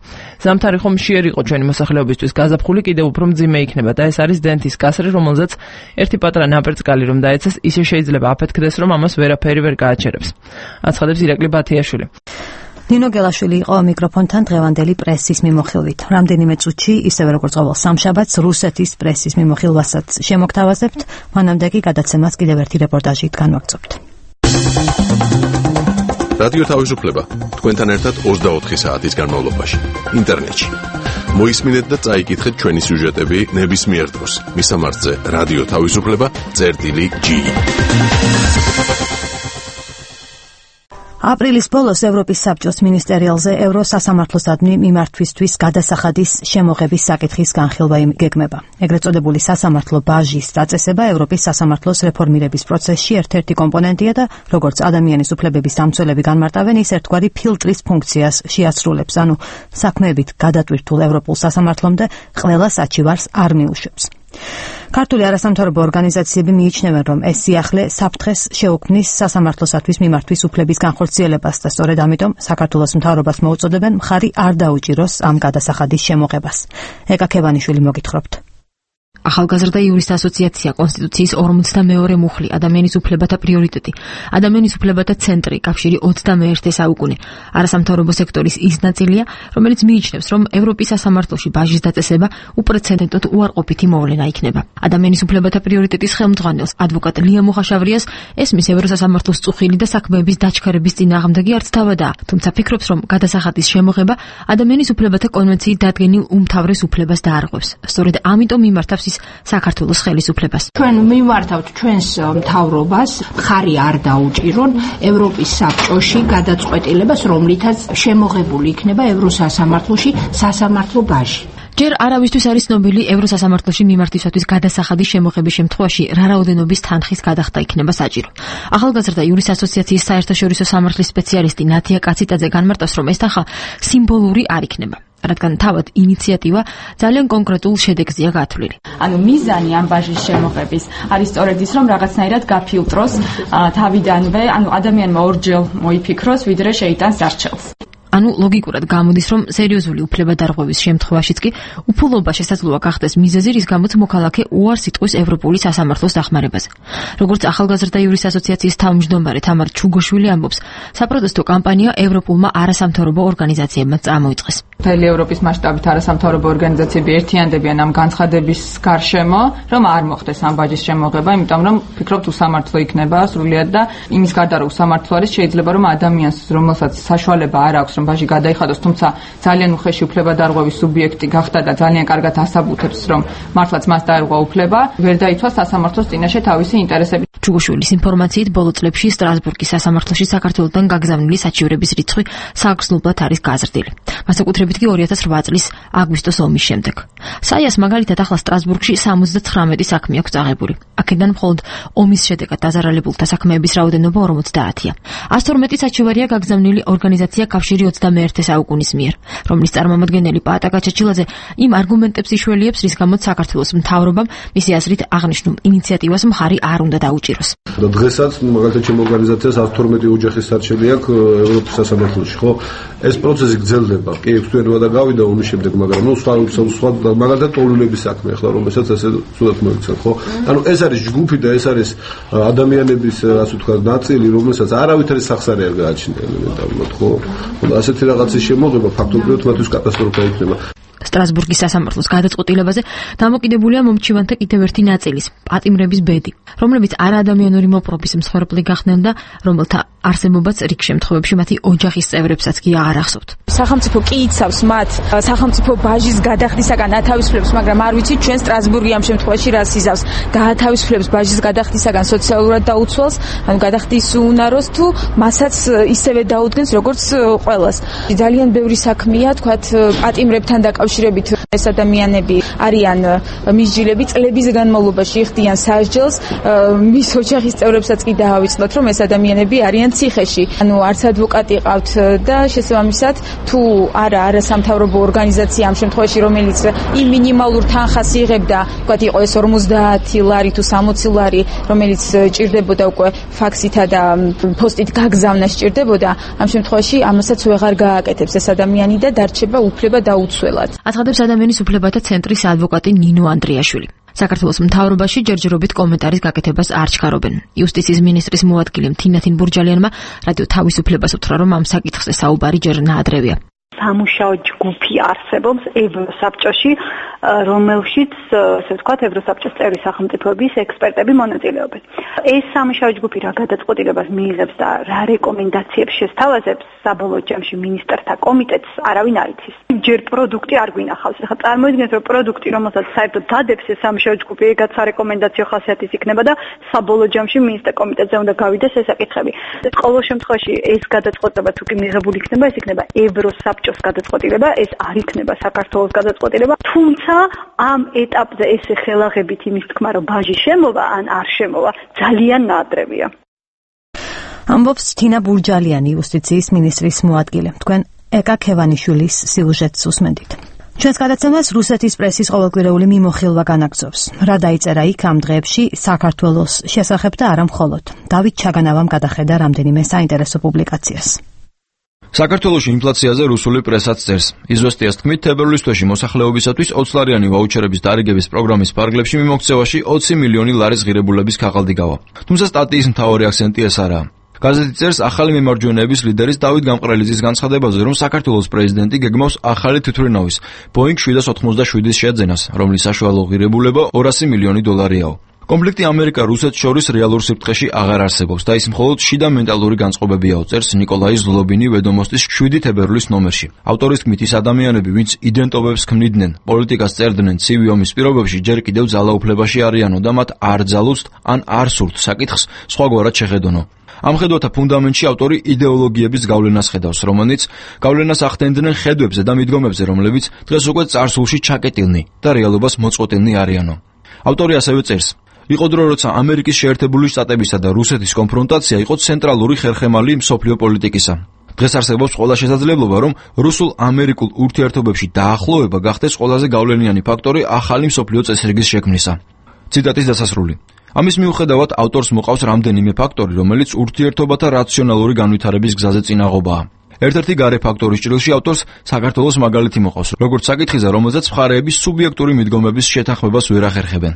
ზამთარი ხომ მშიერი იყო ჩვენი მოსახლეობისთვის, გაზაფხული კიდევ უფრო მძიმე იქნება და ეს არის დენთის კასრი, რომელზეც ერთი პატრა ნაპერწკალი რომ დაეცეს, ისე შეიძლება აფეთქდეს, რომ ამას ვერაფერი ვერ გააჩერებს. აცხადებს ირაკლი ბათიაშვილი. ნინო გელაშვილი იყო მიკროფონთან დღევანდელი პრესის მიმოხილვით. რამდენიმე წუთში, ისევე როგორც ყოველ სამშაბათს, რუსეთის პრესის მიმოხილვასაც შემოგთავაზებთ, მანამდე კი გადაცემას კიდევ ერთი რეპორტაჟით განვაგრძობთ. რადიო თავისუფლება თქვენთან ერთად 24 საათის განმავლობაში ინტერნეტში. მოისმინეთ და წაიკითხეთ ჩვენი სიუჟეტები ნებისმიერ დროს. მისამართზე რადიო თავისუფლება.gi. აპრილის ბოლოს ევროპის საბჭოს მინისტერიალზე ევროსასამართლოსადმი მიმართვისთვის გადასახადის შემოღების საკითხის განხილვა გეგმება. ეგრეთ წოდებული სასამართლო ბაჟის დაწესება ევროპის სასამართლოს რეფორმირების პროცესში ერთ-ერთი კომპონენტია და როგორც ადამიანის უფლებების დამცველები განმარტავენ, ის ერთგვარი ფილტრის ფუნქციას შეასრულებს, ანუ საქმეებით გადატვირთულ ევროპულ სასამართლომდე ყველა საჩივარს არ მიუშვებს. ქართული არასამთავრობო ორგანიზაციები მიიჩნევენ, რომ ეს სიახლე საფრთხეს შეუქმნის სასამართლოსათვის მიმართვის უფლების განხორციელებას და სწორედ ამიტომ საქართველოს მთავრობას მოუწოდებენ მხარი არ დაუჭიროს ამ გადასახადის შემოღებას. ეკა ქევანიშვილი მოგითხრობთ. ახალგაზრდა იურისტთა ასოციაცია კონსტიტუციის 42 მუხლი ადამიანის უფლებათა პრიორიტეტი ადამიანის უფლებათა ცენტრი კავშირი 21 საუკუნე არასამთავრობო სექტორის ის ნაწილია რომელიც მიიჩნევს რომ ევროპის სასამართლოში ბაჟის დაწესება უპრეცედენტოდ უარყოფითი მოვლენა იქნება ადამიანის უფლებათა პრიორიტეტის ხელმძღვანელს ადვოკატ ლია მუხაშავრიას ესმის ევროსასამართლოს წუხილი და საქმეების დაჩქარების წინააღმდეგი არც თავადაა თუმცა ფიქრობს რომ გადასახადის შემოღება ადამიანის უფლებათა კონვენციის დადგენილ უმთავრეს უფლებას დაარღვევს სწორედ ამიტომ მიმართავს საქართველოს ხელისუფლებას. ჩვენ მიმართავთ ჩვენს მთავრობას, ხარი არ დაუჭირონ ევროპის საბჭოში გადაწყვეტილებას, რომლითაც შემოღებული იქნება ევროსასამართლოში სასამართლო ბაჟი. ჯერ არავისთვის არის ცნობილი ევროსასამართლოში მიმართვისათვის გადასახადის შემოღების შემთხვევაში რა რაოდენობის თანხის გადახდა იქნება საჭირო. ახალგაზრდა იურისტთა ასოციაციის საერთაშორისო სამართლის სპეციალისტი ნათია კაციტაძე განმარტავს, რომ ეს თანხა სიმბოლური არ იქნება. რადგან თავად ინიციატივა ძალიან კონკრეტულ შედეგზეა გათვლილი. ანუ მიზანი ამ ბაჟის შემოღების არის სწორედ ის, რომ რაღაცნაირად გაფილტროს თავიდანვე, ანუ ადამიანმა ორჯერ მოიფიქროს, ვიდრე შეიტანს არჩევს. ანუ ლოგიკურად გამოდის, რომ სერიოზული უფლებადარღვევის შემთხვევაშიც კი უფულობა შესაძლოა გახდეს მიზეზი, რის გამოც მოქალაქე უარს იტყვის ევროპული სასამართლოს დახმარებაზე. როგორც ახალგაზრდა იური ასოციაციის თავმჯდომარე თამარ ჩუგოშვილი ამბობს, საპროტესტო კამპანია ევროპულმა არასამთავრობო ორგანიზაციებმა წამოიწყეს. მთელი ევროპის მასშტაბით არასამთავრობო ორგანიზაციები ერთიანდებიან ამ განცხადების გარშემო, რომ არ მოხდეს ამ ბაჯის შემოღება, იმიტომ რომ ფიქრობთ უსამართლო იქნება სრულიად და იმის გარდა რომ უსამართლო არის, შეიძლება რომ ადამიანს, რომელსაც საშუალება არ აქვს, რომ ბაჟი გადაიხადოს, თუმცა ძალიან უხეში უფლებადარღვევის სუბიექტი გახდა და ძალიან კარგად ასაბუთებს, რომ მართლაც მას დაერღვა უფლება, ვერ დაიცვა სასამართლოს წინაშე თავისი ინტერესები. ჩუგოშვილის ინფორმაციით ბოლო წლებში სტრასბურგის სასამართლოში საქართველოსთან გაგზავნილი საჩივრების რიცხვი სააგრძნობლად არის გაზრდილი. მასაკუთრებით კი 2008 წლის აგვისტოს ომის შემდეგ. საიას მაგალითად ახლა სტრასბურგში 79 საქმე აქვს აღებული. აქედან მხოლოდ ომის შედეგად დაზარალებულთა საქმეების რაოდენობა 50-ია. 112 საჩივარია გაგზავნილი ორგანიზაცია კავშირი 21 საუკუნის მიერ, რომლის წარმომადგენელი პაატაკა ჩეჩილაძე იმ არგუმენტებს იშველიებს, რის გამოც საქართველოს მთავრობამ მისი აზრით აღნიშნულ ინიციატივას მხარი არ უნდა დაუჭიროს. და დღესაც მაგალითად ჩემ ორგანიზაციას 112 ოჯახის სარჩელი აქვს ევროპის სასამართლოში, ხო? ეს პროცესი გრძელდება. კი, ექვსთვიანობა და გავიდა ომის შემდეგ, მაგრამ სხვა მაგალითად ტოლუნების საქმე ახლა რომელსაც ესე ცუდად მოიქცეთ, ხო? ანუ ეს არის ჯგუფი და ეს არის ადამიანების, ასე ვთქვათ, ნაწილი, რომელსაც არავითარი სახსარი არ გააჩნია ელემენტარულად, ხო? და ასეთი რაღაცის შემოღება ფაქტობრივად მათთვის კატასტროფა იქნება. სტრასბურგის სასამართლოს გადაწყვეტილებაზე დამოკიდებულია მომჩივანთა კიდევ ერთი ნაწილის, პატიმრების ბედი, რომლებიც არაადამიანური მოპყრობის მსხვერპლი გახდნენ და რომელთა არსებობაც რიგ შემთხვევებში მათი ოჯახის წევრებსაც კი არ ახსოვთ. სახელმწიფო კი იცავს მათ სახელმწიფო ბაჟის გადახდისაგან ათავისუფლებს, მაგრამ არ ვიცით ჩვენ სტრასბურგი ამ შემთხვევაში რას იზავს. გაათავისუფლებს ბაჟის გადახდისაგან სოციალურად დაუცველს, ანუ გადახდის უნაროს თუ მასაც ისევე დაუდგენს როგორც ყველას. ძალიან ბევრი საქმეა, თქვათ, პატიმრებთან დაკავშირებით ეს ადამიანები არიან მისჯილები, წლების განმავლობაში იხდიან სასჯელს, მის ოჯახის წევრებსაც კი დაავიწყდათ, რომ ეს ადამიანები არიან ციხეში. ანუ არც ადვოკატი ყავთ და შესაბამისად თუ არა არასამთავრობო ორგანიზაცია ამ შემთხვევაში, რომელიც იმ მინიმალურ თანხას იღებდა, თქვათ იყო ეს 50 ლარი თუ 60 ლარი, რომელიც ჭირდებოდა უკვე ფაქსითა და პოსტით გაგზავნა სჭირდებოდა, ამ შემთხვევაში ამასაც ვეღარ გააკეთებს ეს ადამიანი და დარჩება უფლება დაუცველად. აცხადებს ადამიანის უფლებათა ცენტრის ადვოკატი ნინო ანდრიაშვილი. საქართველოს მთავრობაში ჯერჯერობით კომენტარის გაკეთებას არ ჩქარობენ. იუსტიციის მინისტრის მოადგილე თინათინ ბურჯალიანმა რადიო თავისუფლებას უთხრა, რომ ამ საკითხზე საუბარი ჯერ ნაადრევია. სამუშაო ჯგუფი არსებობს ევროსაბჭოში, რომელშიც, ასე ვთქვათ, ევროსაბჭოს წევრი სახელმწიფოების ექსპერტები მონაწილეობენ. ეს სამუშაო ჯგუფი რა გადაწყვეტილებას მიიღებს და რა რეკომენდაციებს შესთავაზებს საბოლოო ჯამში მინისტრთა კომიტეტს არავინ არ იცის. ჯერ პროდუქტი არ გვინახავს. ახლა წარმოიდგინეთ, რომ პროდუქტი, რომელსაც საერთოდ დადებს ეს სამუშაო ჯგუფი, ეგაც სარეკომენდაციო ხასიათის იქნება და საბოლოო ჯამში მინისტრთა კომიტეტზე უნდა გავიდეს ეს საკითხები. ყოველ შემთხვევაში ეს გადაწყვეტილება თუ კი მიღებული იქნება, ეს იქნება ევროსაბჭოს გადაწყვეტილება, ეს არ იქნება საქართველოს გადაწყვეტილება, თუმცა ამ ეტაპზე ეს ხელაღებით იმის თქმა, რომ ბაჟი შემოვა ან არ შემოვა, ძალიან ნაადრევია. ამბობს თინა ბურჯალიანი, იუსტიციის მინისტრის მოადგილე. თქვენ ეკა ქევანიშვილის სიუჟეტს უსმენთ. ჩვენს გადაცემას რუსეთის პრესის ყოველკვირეული მიმოხილვა განაგრძობს. რა დაიწერა იქ ამ დღეებში საქართველოს შესახებ და არა მხოლოდ. დავით ჩაგანავამ გადახედა რამდენიმე საინტერესო პუბლიკაციას. საქართველოში ინფლაციაზე რუსული პრესაც წერს. იზვესტიას თქმით, თებერვლის თვეში მოსახლეობისათვის 20 ლარიანი ვაუჩერების დარიგების პროგრამის ფარგლებში მიმოქცევაში 20 მილიონი ლარის ღირებულების ქაღალდი გავა. თუმცა სტატიის მთავარი აქცენტი ეს არაა. გაზეთი წერს ახალი მემარჯვენეების ლიდერის დავით გამყრელიძის განცხადებაზე, რომ საქართველოს პრეზიდენტი გეგმავს ახალი თვითმფრინავის Boeing 787-ის შეძენას, რომლის საშუალო ღირებულება 200 მილიონი დოლარიაო. კონფლიქტი ამერიკა-რუსეთს შორის რეალურ სიფრთხეში აღარ არსებობს და ის მხოლოდ შიდა მენტალური განწყობებია, წერს ნიკოლაი ზლობინი ვედომოსტის 7 თებერვლის ნომერში. ავტორის თქმით, ის ადამიანები, ვინც იდენტობებს ქმნიდნენ, პოლიტიკას წერდნენ ცივი ომის პირობებში, ჯერ კიდევ ძალაუფლებაში არიანო და მათ არ ძალუცთ ან არ სურთ საკითხს სხვაგვარად შეხედონო. ამ ხედვათა ფუნდამენტში ავტორი იდეოლოგიების გავლენას ხედავს, რომელიც გავლენას ახდენდნენ ხედვებზე და მიდგომებზე, რომლებიც დღეს უკვე წარსულში ჩაკეტილნი და რეალობას მოწყვეტილნი არიანო. ავტორი ასევე წერს: იყო დრო, როცა ამერიკის შეერთებული შტატებისა და რუსეთის კონფრონტაცია იყო ცენტრალური ხერხემალი მსოფლიო პოლიტიკისა. დღეს არსებობს ყველა შესაძლებლობა, რომ რუსულ-ამერიკულ ურთიერთობებში დაახლოება გახდეს ყველაზე გავლენიანი ფაქტორი ახალი მსოფლიო წესრიგის შექმნისა. ციტატის დასასრული. ამის მიუხედავად, ავტორს მოყავს რამდენიმე ფაქტორი, რომელიც ურთიერთობათა რაციონალური განვითარების გზაზე წინაღობაა. ერთ-ერთი გარე ფაქტორის ჭრილში ავტორს საქართველოს მაგალითი მოყავს, როგორც საკითხიზე, რომელზეც მხარეების სუბიექტური მიდგომების შეთანხმებას ვერ ახერხებენ.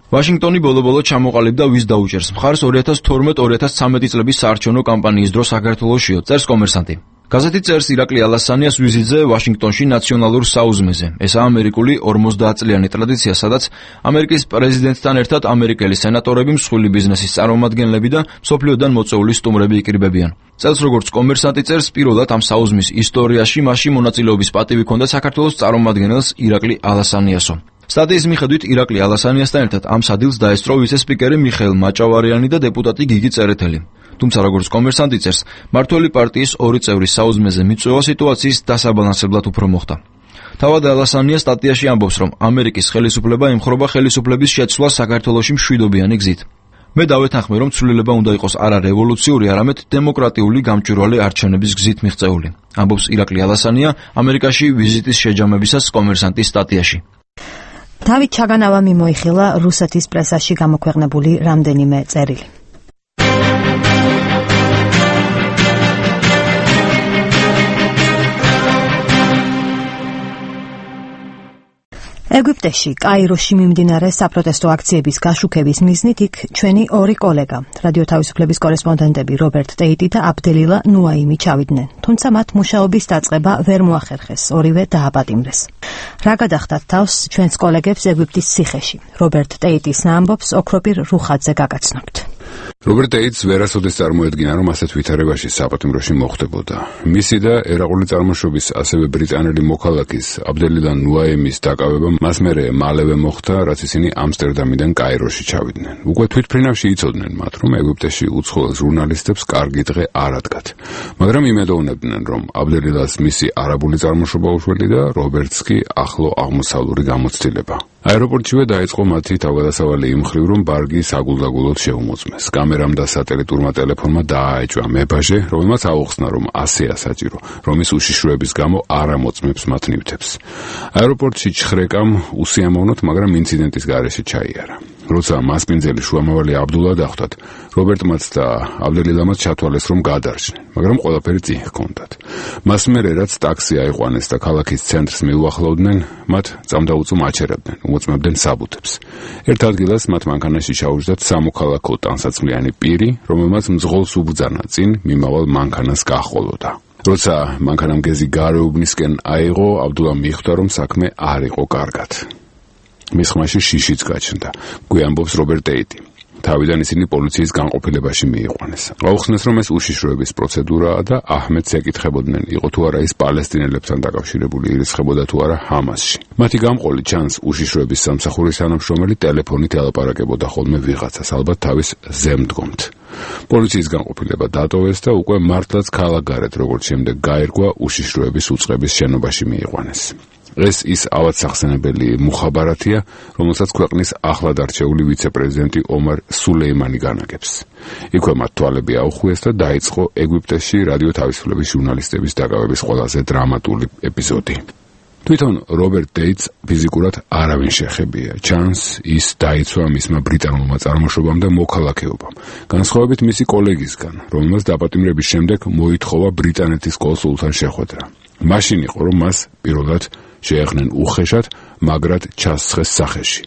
ვაშინგტონი ბოლო-ბოლო ჩამოყალიბდა ვის დაუჭერს მხარს 2012-2013 წლების საარჩევნო კამპანიის დროს საქართველოშიო, წერს კომერსანტი. გაზეთი წერს ირაკლი ალასანიას ვიზიტზე ვაშინგტონში ნაციონალურ საუზმეზე. ესაა ამერიკული 50-წლიანი ტრადიცია, სადაც ამერიკის პრეზიდენტთან ერთად ამერიკელი სენატორები, მსხვილი ბიზნესის წარმომადგენლები და მსოფლიოდან მოწვეული სტუმრები იკრიბებიან. წელს როგორც კომერსანტი წერს, პირველად ამ საუზმის ისტორიაში მასში მონაწილეობის პატივი ჰქონდა საქართველოს წარმომადგენელს ირაკლი ალასანიასო. სტატიის მიხედვით ირაკლი ალასანიასთან ერთად ამ სადილს დაესწრო ვიცე-სპიკერი მიხეილ მაჭავარიანი და დეპუტატი გიგი წერეთელი. თუმცა როგორც კომერსანტი წერს, მმართველი პარტიის ორი წევრის საუზმეზე მიწვევა სიტუაციის დასაბალანსებლად უფრო მოხდა. თავად ალასანია სტატიაში ამბობს, რომ ამერიკის ხელისუფლება ემხრობა ხელისუფლების შეცვლას საქართველოში მშვიდობიანი გზით. მე დავეთანხმე, რომ ცვლილება უნდა იყოს არა რევოლუციური, არამედ დემოკრატიული გამჭვირვალე არჩევნების გზით მიღწეული. ამბობს ირაკლი ალასანია ამერიკაში ვიზიტის შეჯამებისას კომერსანტის სტატიაში. დავით ჩაგანავა მიმოიხილა რუსეთის პრესაში გამოქვეყნებული რამდენიმე წერილი. ეგვიპტეში, კაიროში მიმდინარე საპროტესტო აქციების გაშუქების მიზნით იქ ჩვენი ორი კოლეგა, რადიო თავისუფლების კორესპონდენტები რობერტ ტეიტი და აბდელილა ნუაიმი ჩავიდნენ, თუმცა მათ მუშაობის დაწყება ვერ მოახერხეს, ორივე დააპატიმრეს. რა გადახდათ თავს ჩვენს კოლეგებს ეგვიპტის ციხეში? რობერტ ტეიტის ამბობს ოქროპირ რუხაძე გაგაცნობთ. რობერტ ტეიტს ვერასოდეს წარმოედგინა, რომ ასეთ ვითარებაში საპატიმროში მოხდებოდა. მისი და ერაყული წარმოშობის ასევე ბრიტანელი მოქალაქის აბდელილა ნუაიმის დაკავება მას მალევე მოხდა, რაც ისინი ამსტერდამიდან კაიროში ჩავიდნენ. უკვე თვითფრინავში იცოდნენ მათ, რომ ეგვიპტეში უცხოელ ჟურნალისტებს კარგი დღე არ ადგათ. მაგრამ იმედოვნებდნენ, რომ აბდელილას მისი არაბული წარმოშობა უშველი და რობერტს კი ახლო აღმოსავლური გამოცდილება. აეროპორტშივე დაიწყო მათი თავგადასავალი იმ მხრივ, რომ ბარგი საგულდაგულოდ შეუმოწმეს. კამერამ და სატელიტურმა ტელეფონმა დააეჭვა მებაჟე, რომელმაც აუხსნა, რომ ასეა საჭირო, რომ ის უშიშროების გამო არ ამოწმებს მათ ნივთებს. აეროპორტში ჩხრეკამ უსიამოვნოთ, მაგრამ ინციდენტის გარეშე ჩაიარა. როცა მასპინძელი შუამავალი აბდულა დახვდათ, რობერტმაც და აბდელილამაც ჩათვალეს, რომ გადარჩნენ, მაგრამ ყველაფერი წინ ჰქონდათ. მას მერე რაც ტაქსი აიყვანეს და ქალაქის ცენტრს მიუახლოვდნენ, მათ წამდაუწუ აჩერებდნენ, უმოწმებდნენ საბუთებს. ერთ ადგილას მათ მანქანაში ჩაუჯდათ სამოქალაქო ტანსაცმლიანი პირი, რომელმაც მძღოლს უბრძანა წინ მიმავალ მანქანას გაჰყოლოდა. როცა მანქანამ გეზი გარეუბნისკენ აიღო, აბდულა მიხვდა, რომ საქმე არ იყო კარგად. მის ხმაში შიშიც გაჩნდა, გვიამბობს რობერტ ტეიტი. თავიდან ისინი პოლიციის განყოფილებაში მიიყვანეს. აუხსნეს, რომ ეს უშიშროების პროცედურაა და აჰმედს ეკითხებოდნენ, იყო თუ არა ის პალესტინელებთან დაკავშირებული, ირიცხებოდა თუ არა ჰამასში. მათი გამყოლი ჩანს უშიშროების სამსახურის თანამშრომელი ტელეფონით ელაპარაკებოდა ხოლმე ვიღაცას, ალბათ თავის ზემდგომთ. პოლიციის განყოფილება დატოვეს და უკვე მართლაც ქალაქგარეთ, როგორც შემდეგ გაირკვა, უშიშროების უწყების შენობაში მიიყვანეს. ეს ის ავადსახსენებელი მუხაბარათია, რომელსაც ქვეყნის ახლად არჩეული ვიცე-პრეზიდენტი ომარ სულეიმანი განაგებს. იქვე მათ თვალები აუხვიეს და დაიწყო ეგვიპტეში რადიო თავისუფლების ჟურნალისტების დაკავების ყველაზე დრამატული ეპიზოდი. თვითონ რობერტ ტეიტს ფიზიკურად არავინ შეხებია. ჩანს, ის დაიცვა მისმა ბრიტანულმა წარმოშობამ და მოქალაქეობამ, განსხვავებით მისი კოლეგისგან, რომელმაც დაპატიმრების შემდეგ მოითხოვა ბრიტანეთის კონსულთან შეხვედრა. მაშინ იყო, რომ მას პირველად შეეხნენ უხეშად, მაგრად ჩასცხეს სახეში.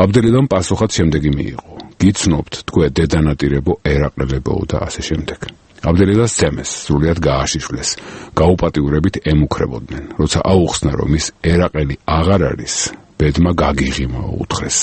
აბდელილამ პასუხად შემდეგი მიიღო. გიცნობთ, თქვენ დედანატირებო ერაყლებო და ასე შემდეგ. აბდელილას ცემეს, სრულიად გააშიშვლეს, გაუპატიურებით ემუქრებოდნენ. როცა აუხსნა, რომ ის ერაყელი აღარ არის, ბედმა გაგიღიმა უთხრეს.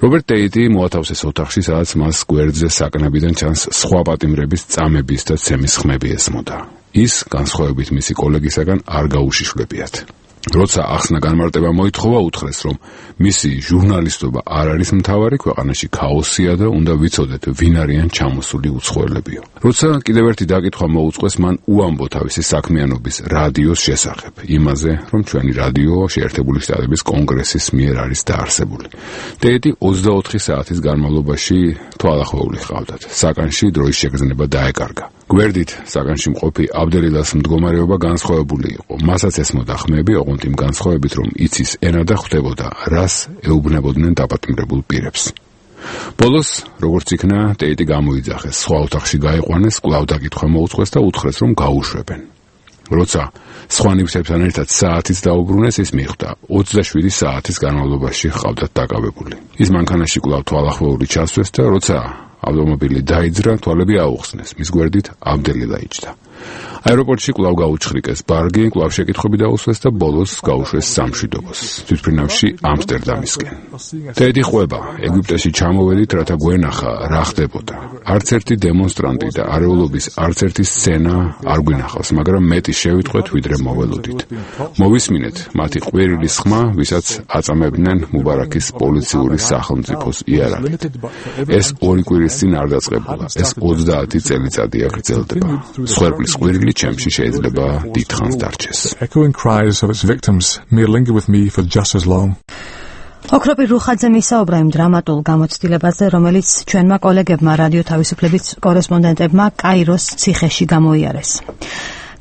რობერტ ტეიტი მოათავსეს ოთახში, სადაც მას გვერდზე საკნებიდან ჩანს სხვა პატიმრების წამების და ცემის ხმები ესმოდა. ის განსხვავებით მისი კოლეგისაგან არ გაუშიშვლებიათ. როცა ახსნა განმარტება მოითხოვა, უთხრეს, რომ მისი ჟურნალისტობა არ არის მთავარი, ქვეყანაში ქაოსია და უნდა ვიცოდეთ, ვინ არიან ჩამოსული უცხოელებიო. როცა კიდევ ერთი დაკითხვა მოუწყვეს, მან უამბო თავისი საქმიანობის რადიოს შესახებ, იმაზე, რომ ჩვენი რადიო შეერთებული შტატების კონგრესის მიერ არის დაარსებული. ტეიტი 24 საათის განმავლობაში თვალახვეული ჰყავდათ. საკანში დროის შეგრძნება დაეკარგა. გვერდით საკანში მყოფი აბდელილას მდგომარეობა განსხვავებული იყო. მასაც ესმოდა ხმები, ოღონდ იმ განსხვავებით, რომ იცის ენა და ხვდებოდა, რას ეუბნებოდნენ დაპატიმრებულ პირებს. ბოლოს, როგორც იქნა, ტეიტი გამოიძახეს, სხვა ოთახში გაიყვანეს, კვლავ დაკითხვა მოუწყვეს და უთხრეს, რომ გაუშვებენ. როცა სხვა ნივთებთან ერთად საათიც დაუბრუნეს, ის მიხვდა 27 საათის განმავლობაში ჰყავდათ დაკავებული. ის მანქანაში კვლავ თვალახმოვური ჩასვეს და როცა ავტომობილი დაიძრა, თვალები აუხსნეს. მის გვერდით აბდელი დაიჯდა. აეროპორტში კვლავ გაუჩხრიკეს ბარგი, კვლავ შეკითხვები დაუსვეს და ბოლოს გაუშვეს სამშვიდობოს. თვითმფრინავში ამსტერდამისკენ. თედი ყვება, ეგვიპტეში ჩამოვედით, რათა გვენახა რა ხდებოდა. არც ერთი დემონსტრანტი და არეულობის არც ერთი სცენა არ გვინახავს, მაგრამ მეტი შევიტყვეთ, ვიდრე მოველოდით. მოვისმინეთ მათი ყვირილის ხმა, ვისაც აწამებდნენ მუბარაქის პოლიციური სახელმწიფოს იარაღით. ეს 2 კვირის წინ არ დაწყებულა, ეს 30 წელიწადია გრძელდება. სხვერპლის ყვირილი ჩემში შეიძლება დიდხანს დარჩეს. Echoing cries of its victims may linger with me for just as long. ოქროპირ რუხაძე მისაუბრა იმ დრამატულ გამოცდილებაზე, რომელიც ჩვენმა კოლეგებმა რადიო თავისუფლების კორესპონდენტებმა კაიროს ციხეში გამოიარეს.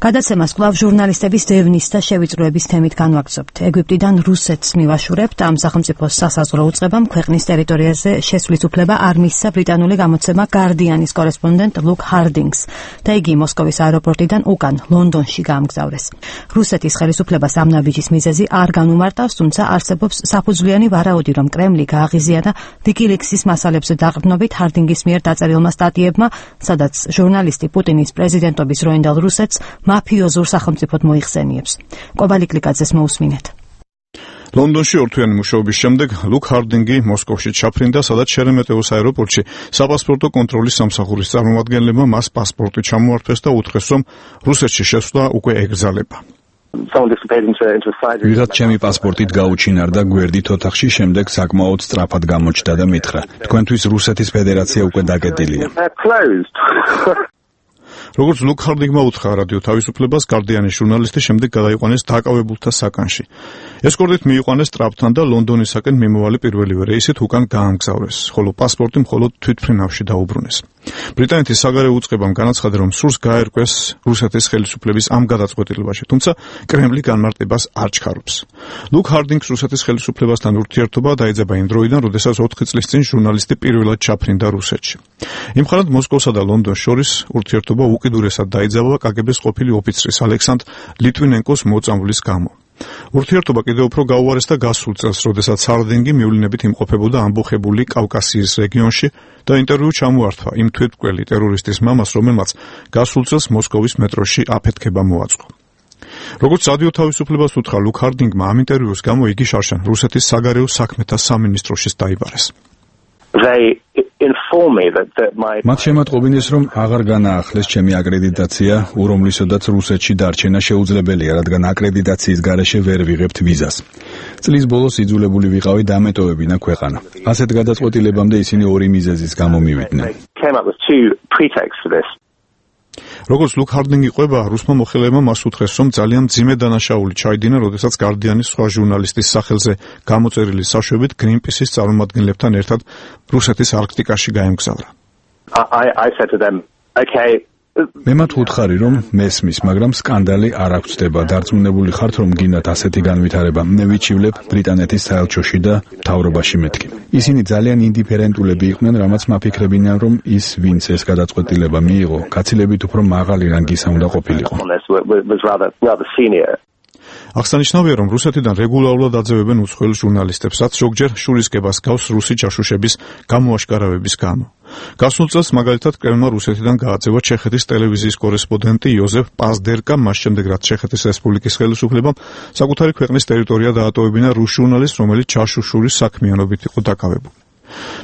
გადაცემას კვლავ ჟურნალისტების დევნის და შევიწროების თემით განვაგრძობთ. ეგვიპტიდან რუსეთს მივაშურებთ, ამ სახელმწიფოს სასაზღვრო უწყებამ ქვეყნის ტერიტორიაზე შესვლის უფლება არ მისცა ბრიტანული გამოცემა გარდიანის კორესპონდენტ ლუკ ჰარდინგს და იგი მოსკოვის აეროპორტიდან უკან ლონდონში გაამგზავრეს. რუსეთის ხელისუფლებას ამ ნაბიჯის მიზეზი არ განუმარტავს, თუმცა არსებობს საფუძვლიანი ვარაუდი, რომ კრემლი გააღიზია და ვიკილիქსის მასალებზე დაყრდნობით ჰარდინგის მიერ დაწერილმა სტატიებმა, სადაც ჟურნალისტი პუტინის პრეზიდენტობის როინდალ რუსეთს მაფიოზურ სახელმწიფოდ მოიხსენიებს. კობალი კლიკაძეს მოусმინეთ. ლონდონში ორთვიანი მუშაობის შემდეგ ლუკ ჰარდინგი მოსკოვში ჩაფრინდა, სადაც შერემეტეოს აეროპორტში საპასპორტო კონტროლის სამსახურის წარმომადგენლებმა მას პასპორტი ჩამოართვეს და უთხრეს, რომ რუსეთში შესვლა უკვე ეკრძალება. ვიღაც ჩემი პასპორტით გაუჩინარდა გვერდით ოთახში, შემდეგ საკმაოდ სწრაფად გამოჩნდა და მითხრა, თქვენთვის რუსეთის ფედერაცია უკვე დაკეტილია. როგორც ლუკ ჰარდინგმა უთხრა რადიო თავისუფლებას, გარდიანის ჟურნალისტი შემდეგ გადაიყვანეს დაკავებულთა საკანში. ეს კორდით მიიყვანეს ტრაპთან და ლონდონისაკენ მიმოვალი პირველივე რეისით უკან გაამგზავრეს, ხოლო პასპორტი მხოლოდ თვითმფრინავში დაუბრუნეს. ბრიტანეთის საგარეო უწყებამ განაცხადა, რომ სურს გაერკვეს რუსეთის ხელისუფლების ამ გადაწყვეტილებაში, თუმცა კრემლი განმარტებას არ ჩქარობს. ლუკ ჰარდინგს რუსეთის ხელისუფლებასთან ურთიერთობა დაეძაბა იმ დროიდან, როდესაც 4 წლის წინ ჟურნალისტი პირველად ჩაფრინდა რუსეთში. იმხანად მოსკოვსა და ლონდონს შორის ურთიერთობა უკიდურესად დაიძაბა კგბ-ს ყოფილი ოფიცრის ალექსანდრ ლიტვინენკოს მოწამვლის გამო. ურთიერთობა კიდევ უფრო გაუარეს და გასულ წელს, როდესაც ჰარდინგი მივლინებით იმყოფებოდა ამბოხებული კავკასიის რეგიონში და ინტერვიუ ჩამოართვა იმ თვითმკვლელი ტერორისტის მამას, რომელმაც გასულ წელს მოსკოვის მეტროში აფეთქება მოაწყო. როგორც რადიო თავისუფლებას უთხრა ლუკ ჰარდინგმა, ამ ინტერვიუს გამო იგი შარშან რუსეთის საგარეო საქმეთა სამინისტროშიც დაიბარეს. მათ შემატყობინეს, რომ აღარ განაახლეს ჩემი აკრედიტაცია, უმრავლესოდაც რუსეთში დარჩენა შეუძლებელია, რადგან აკრედიტაციის გარეშე ვერ ვიღებთ ვიზას. წლის ბოლოს იძულებული ვიყავი დამეტოვებინა ქვეყანა. ასეთ გადაწყვეტილებამდე ისინი 2 მიზეზის გამო მივიდნენ. როგორც ლუკ ჰარდინგი ყვება, რუსმა მოხელეებმა მას უთხრეს, რომ ძალიან მძიმე დანაშაული ჩაიდინა, როდესაც გარდიანის სხვა ჟურნალისტის სახელზე გამოწერილი საშვებით გრინპისის წარმომადგენლებთან ერთად რუსეთის არქტიკაში გაემგზავრა. მე მათ ვუთხარი, რომ მესმის, მაგრამ სკანდალი არ აღწდება. დარწმუნებული ხართ, რომ გინდათ ასეთი განვითარება. მე ვიჩივლებ ბრიტანეთის საელჩოში და მთავრობაში მეთქი. ისინი ძალიან ინდიფერენტულები იყვნენ, რამაც მაფიქრებინან, რომ ის, ვინც ეს გადაწყვეტილება მიიღო, გაცილებით უფრო მაღალი რანგისა უნდა ყოფილიყო. აღსანიშნავია, რომ რუსეთიდან რეგულარულად აძევებენ უცხოელ ჟურნალისტებს, რაც ზოგჯერ შურისკებას გავს რუსი ჯაშუშების გამოაშკარავების გამო. გასულ წელს მაგალითად კრემლმა რუსეთიდან გააძევა ჩეხეთის ტელევიზიის კორესპონდენტი იოზეფ პაზდერკა, მას შემდეგ რაც ჩეხეთის რესპუბლიკის ხელისუფლებამ საკუთარი ქვეყნის ტერიტორია დაატოვებინა რუს ჟურნალისტს, რომელიც ჯაშუშურის საქმიანობით იყო დაკავებული.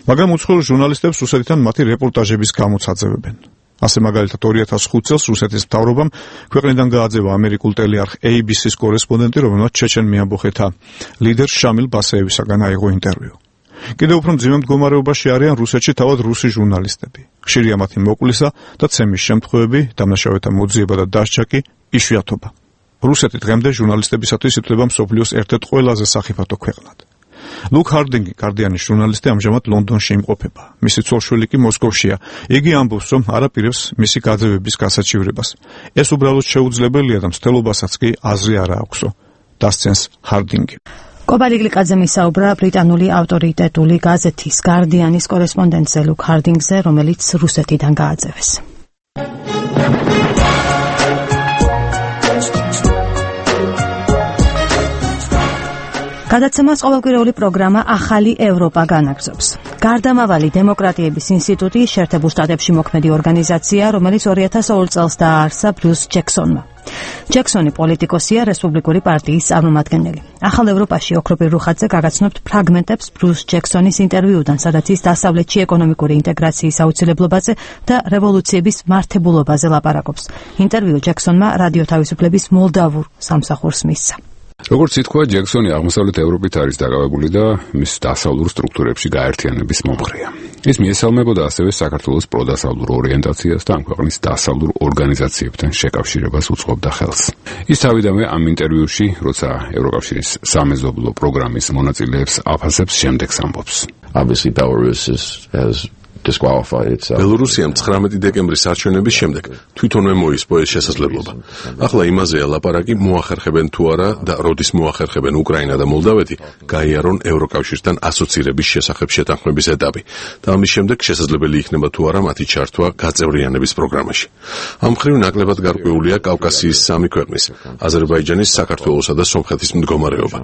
მაგრამ უცხოელ ჟურნალისტებს რუსეთიდან მათი რეპორტაჟების გამოც აძევებენ. ასე მაგალითად 2005 წელს რუსეთის მთავრობამ ქვეყნიდან გააძევა ამერიკულ ტელეარხ ABC-ს კორესპონდენტი, რომელმაც ჩეჩენ მეამბოხეთა ლიდერ შამილ ბასეევისაგან აიღო ინტერვიუ. კიდევ უფრო მძიმე მდგომარეობაში არიან რუსეთში თავად რუსი ჟურნალისტები. ხშირია მათი მოკლისა და ცემის შემთხვევები, დამნაშავეთა მოძიება და დასჯა კი იშვიათობა. რუსეთი დღემდე ჟურნალისტებისათვის ითვლება მსოფლიოს ერთ-ერთ ყველაზე სახიფათო ქვეყნად. ლუკ ჰარდინგი, გარდიანის ჟურნალისტი, ამჟამად ლონდონში იმყოფება. მისი ცოლ-შვილი კი მოსკოვშია. იგი ამბობს, რომ არ აპირებს მისი გაძევების გასაჩივრებას. ეს უბრალოდ შეუძლებელია და მცდელობასაც კი აზრი არ აქვსო. დასცენს ჰარდინგი. კობალი კლიკაძე მისაუბრა ბრიტანული ავტორიტეტული გაზეთის გარდიანის კორესპონდენტზე ლუკ ჰარდინგზე, რომელიც რუსეთიდან გააძევეს. გადაცემას ყოველკვირეული პროგრამა ახალი ევროპა განაგრძობს. გარდამავალი დემოკრატიების ინსტიტუტი შეერთებულ შტატებში მოქმედი ორგანიზაცია, რომელიც 2002 წელს დააარსა ბრიუს ჯექსონმა. ჯექსონი პოლიტიკოსია, რესპუბლიკური პარტიის წარმომადგენელი. ახალ ევროპაში ოქროპირ რუხაძე გაგაცნობთ ფრაგმენტებს ბრიუს ჯექსონის ინტერვიუდან, სადაც ის დასავლეთში ეკონომიკური ინტეგრაციის აუცილებლობაზე და რევოლუციების მართებულობაზე ლაპარაკობს. ინტერვიუ ჯექსონმა რადიო თავისუფლების მოლდავურ სამსახურს მისცა. როგორც ითქვა, ჯექსონი აღმოსავლეთ ევროპით არის დაკავებული და მის დასავლურ სტრუქტურებში გაერთიანების მომხრეა. ის მიესალმებოდა ასევე საქართველოს პროდასავლურ ორიენტაციას და ამ ქვეყნის დასავლურ ორგანიზაციებთან შეკავშირებას უწყობდა ხელს. ის თავიდანვე ამ ინტერვიუში, როცა ევროკავშირის სამეზობლო პროგრამის მონაწილეებს აფასებს, შემდეგს ამბობს. Obviously Belarus has disqualified itself. ბელორუსიამ 19 დეკემბრის არჩევნების შემდეგ თვითონვე მოისპო ეს შესაძლებლობა. ახლა იმაზეა ლაპარაკი, მოახერხებენ თუ არა და როდის მოახერხებენ უკრაინა და მოლდავეთი გაიარონ ევროკავშირთან ასოცირების შესახებ შეთანხმების ეტაპი და ამის შემდეგ შესაძლებელი იქნება თუ არა მათი ჩართვა გაწევრიანების პროგრამაში. ამ მხრივ ნაკლებად გარკვეულია კავკასიის სამი ქვეყნის, აზერბაიჯანის, საქართველოსა და სომხეთის მდგომარეობა.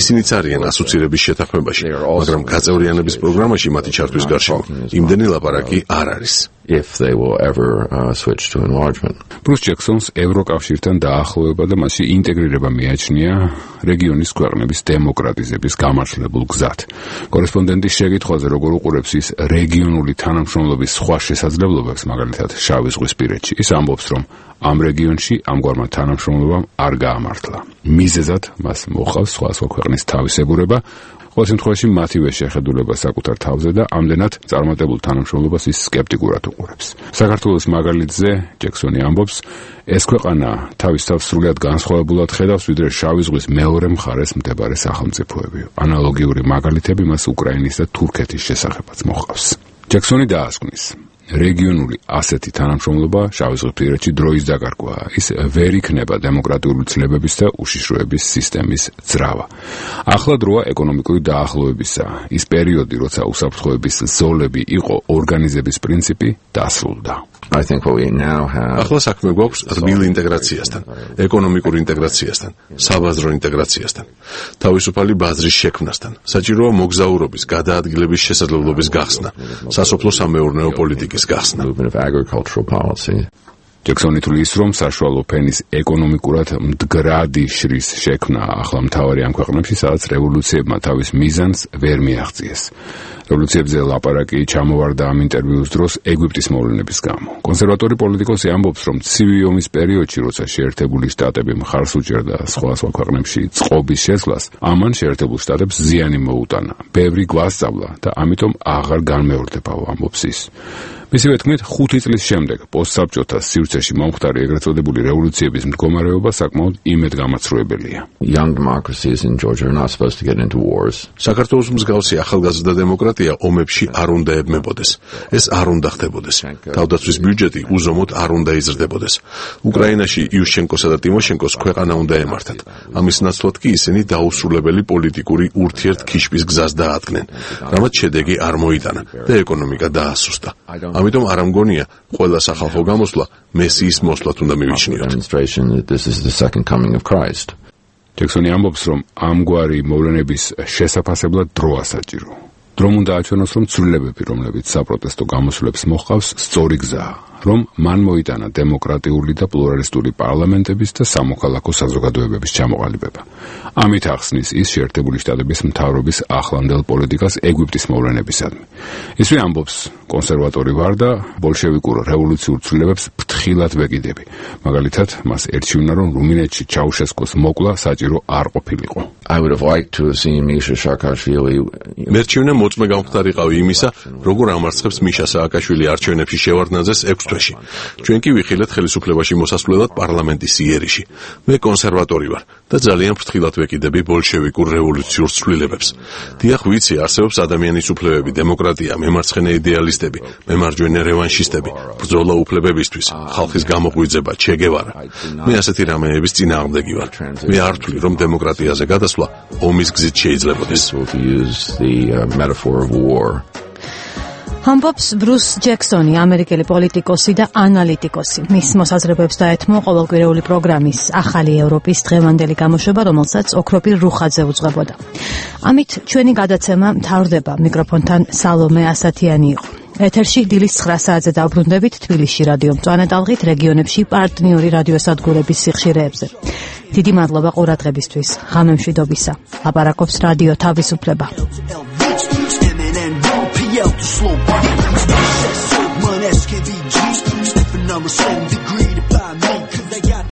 ისინიც არიან ასოცირების შეთანხმებაში, მაგრამ გაწევრიანების პროგრამაში მათი ჩართვის გარშემო იმდენი ლაპარაკი არ არის. If they will ever switch to enlargement. Bruce Jackson's ევროკავშირთან დაახლოება და მასში ინტეგრირება მიაჩნია რეგიონის ქვეყნების დემოკრატიზების გამართლებულ გზად. კორესპონდენტის შეკითხვაზე, როგორ უყურებს ის რეგიონული თანამშრომლობის სხვა შესაძლებლობებს, მაგალითად შავი ზღვისპირეთში, ის ამბობს, რომ ამ რეგიონში ამგვარმა თანამშრომლობამ არ გაამართლა. მიზეზად მას მოჰყავს სხვა ქვეყნის თავისებურება, ყოველ შემთხვევაში მათივე შეხედულება საკუთარ თავზე და ამდენად წარმატებულ თანამშრომლობას ის სკეპტიკურად უყურებს. საქართველოს მაგალითზე ჯექსონი ამბობს, ეს ქვეყანა თავის თავს სრულად განსხვავებულად ხედავს, ვიდრე შავი ზღვის მეორე მხარეს მდებარე სახელმწიფოები. ანალოგიური მაგალითები მას უკრაინის და თურქეთის შესახებაც მოჰყავს. ჯექსონი დაასკვნის, რეგიონული ასეთი თანამშრომლობა შავიზღვისპირეთში დროის დაკარგვაა. ის ვერ იქნება დემოკრატიული ცნებების და უშიშროების სისტემის ძრავა. ახლა დროა ეკონომიკური დაახლოებისა. ის პერიოდი, როცა უსაფრთხოების ზოლები იყო ორგანიზების პრინციპი, დასრულდა. I think what we now have ახლა საქმე გვაქვს რბილ ინტეგრაციასთან, ეკონომიკურ ინტეგრაციასთან, საბაზრო ინტეგრაციასთან, თავისუფალი ბაზრის შექმნასთან, საჭიროა მოგზაურობის, გადაადგილების შესაძლებლობის გახსნა, სასოფლო-სამეურნეო პოლიტიკის გახსნა. ჯექსონი თulis რომ საშუალო ფენის ეკონომიკურად მდგრადი შრის შექმნა ახლა მთავარი ამ ქვეყნებში, სადაც რევოლუციებმა თავის მიზანს ვერ მიაღწიეს. რევოლუციებზე ლაპარაკი ჩამოვარდა ამ ინტერვიუს დროს ეგვიპტის მოვლენების გამო. კონსერვატორი პოლიტიკოსი ამბობს, რომ ცივი ომის პერიოდში, როცა შეერთებული შტატები მხარს უჭერდა სხვა ქვეყნებში წყობის შესვლას, ამან შეერთებულ შტატებს ზიანი მოუტანა, ბევრი გვასწავლა და ამიტომ აღარ განმეორდებაო, ამბობს ის. მისივე თქმით, 5 წლის შემდეგ პოსტსაბჭოთა სივრცეში მომხდარი ეგრეთ წოდებული რევოლუციების მდგომარეობა საკმაოდ იმედგამაცრუებელია. Young democracies in Georgia are not supposed to get into wars. საქართველოს მსგავსი ახალგაზრდა დემოკრატია ომებში არ უნდა ებმებოდეს. ეს არ უნდა ხდებოდეს. თავდაცვის ბიუჯეტი უზომოდ არ უნდა იზრდებოდეს. უკრაინაში იუშჩენკოსა და ტიმოშენკოს ქვეყანა უნდა ემართათ. ამის ნაცვლად კი ისინი დაუსრულებელი პოლიტიკური ურთიერთქიშვის გზას დაადგნენ, რამაც შედეგი არ მოიტანა და ეკონომიკა დაასუსტა. ამიტომ არ ამგონია, ყველა სახალხო გამოსვლა მესიის მოსვლად უნდა მივიჩნიოთ. ჯექსონი ამბობს, რომ ამგვარი მოვლენების შესაფასებლად დრო ასაჭირო. დრომ უნდა აჩვენოს, რომ ცვლილებები, რომლებიც საპროტესტო გამოსვლებს მოჰყავს, სწორი გზაა, რომ მან მოიტანა დემოკრატიული და პლურალისტური პარლამენტების და სამოქალაქო საზოგადოებების ჩამოყალიბება. ამით ახსნის ის შეერთებული შტატების მთავრობის ახლანდელ პოლიტიკას ეგვიპტის მოვლენებისადმი. ისვე ამბობს, კონსერვატორი ვარ და ბოლშევიკურ რევოლუციურ ცვლილებებს ფრთხილად ვეკიდები. მაგალითად, მას ერჩივნა, რომ რუმინეთში ჩაუშესკოს მოკლა საჭირო არ ყოფილიყო. I would have liked to have seen Misha Saakashvili. მერჩივნა მოწმე გამხდარიყავი იმისა, როგორ ამარცხებს მიშა სააკაშვილი არჩევნებში შევარდნაძეს 6 თვეში. ჩვენ კი ვიხილეთ ხელისუფლებაში მოსასვლელად პარლამენტის იერიში. მე კონსერვატორი ვარ და ძალიან ფრთხილად ვეკიდები ბოლშევიკურ რევოლუციურ ცვლილებებს. დიახ, ვიცი, არსებობს ადამიანის უფლებები, დემოკრატია, მემარცხენე იდეალისტები, მემარჯვენე რევანშისტები, ბრძოლა უფლებებისთვის, ხალხის გამოღვიძება, ჩე გევარა. მე ასეთი რამეების წინააღმდეგი ვარ. მე არ ვთვლი, რომ დემოკრატიაზე გადასვლა ომის გზით შეიძლებოდეს. ამბობს ბრუს ჯექსონი, ამერიკელი პოლიტიკოსი და ანალიტიკოსი. მის მოსაზრებებს დაეთმო ყოველკვირეული პროგრამის ახალი ევროპის დღევანდელი გამოშვება, რომელსაც ოქროპირ რუხაძე უძღვებოდა. ამით ჩვენი გადაცემა მთავრდება. მიკროფონთან სალომე ასათიანი იყო. ეთერში დილის 9 საათზე დავბრუნდებით თბილისში რადიო მწვანე ტალღით, რეგიონებში პარტნიორი რადიოსადგურების სიხშირეებზე. დიდი მადლობა ყურადღებისთვის. ღამემშვიდობისა. ლაპარაკობს რადიო თავისუფლება. Slow, money, SKBG, I'm a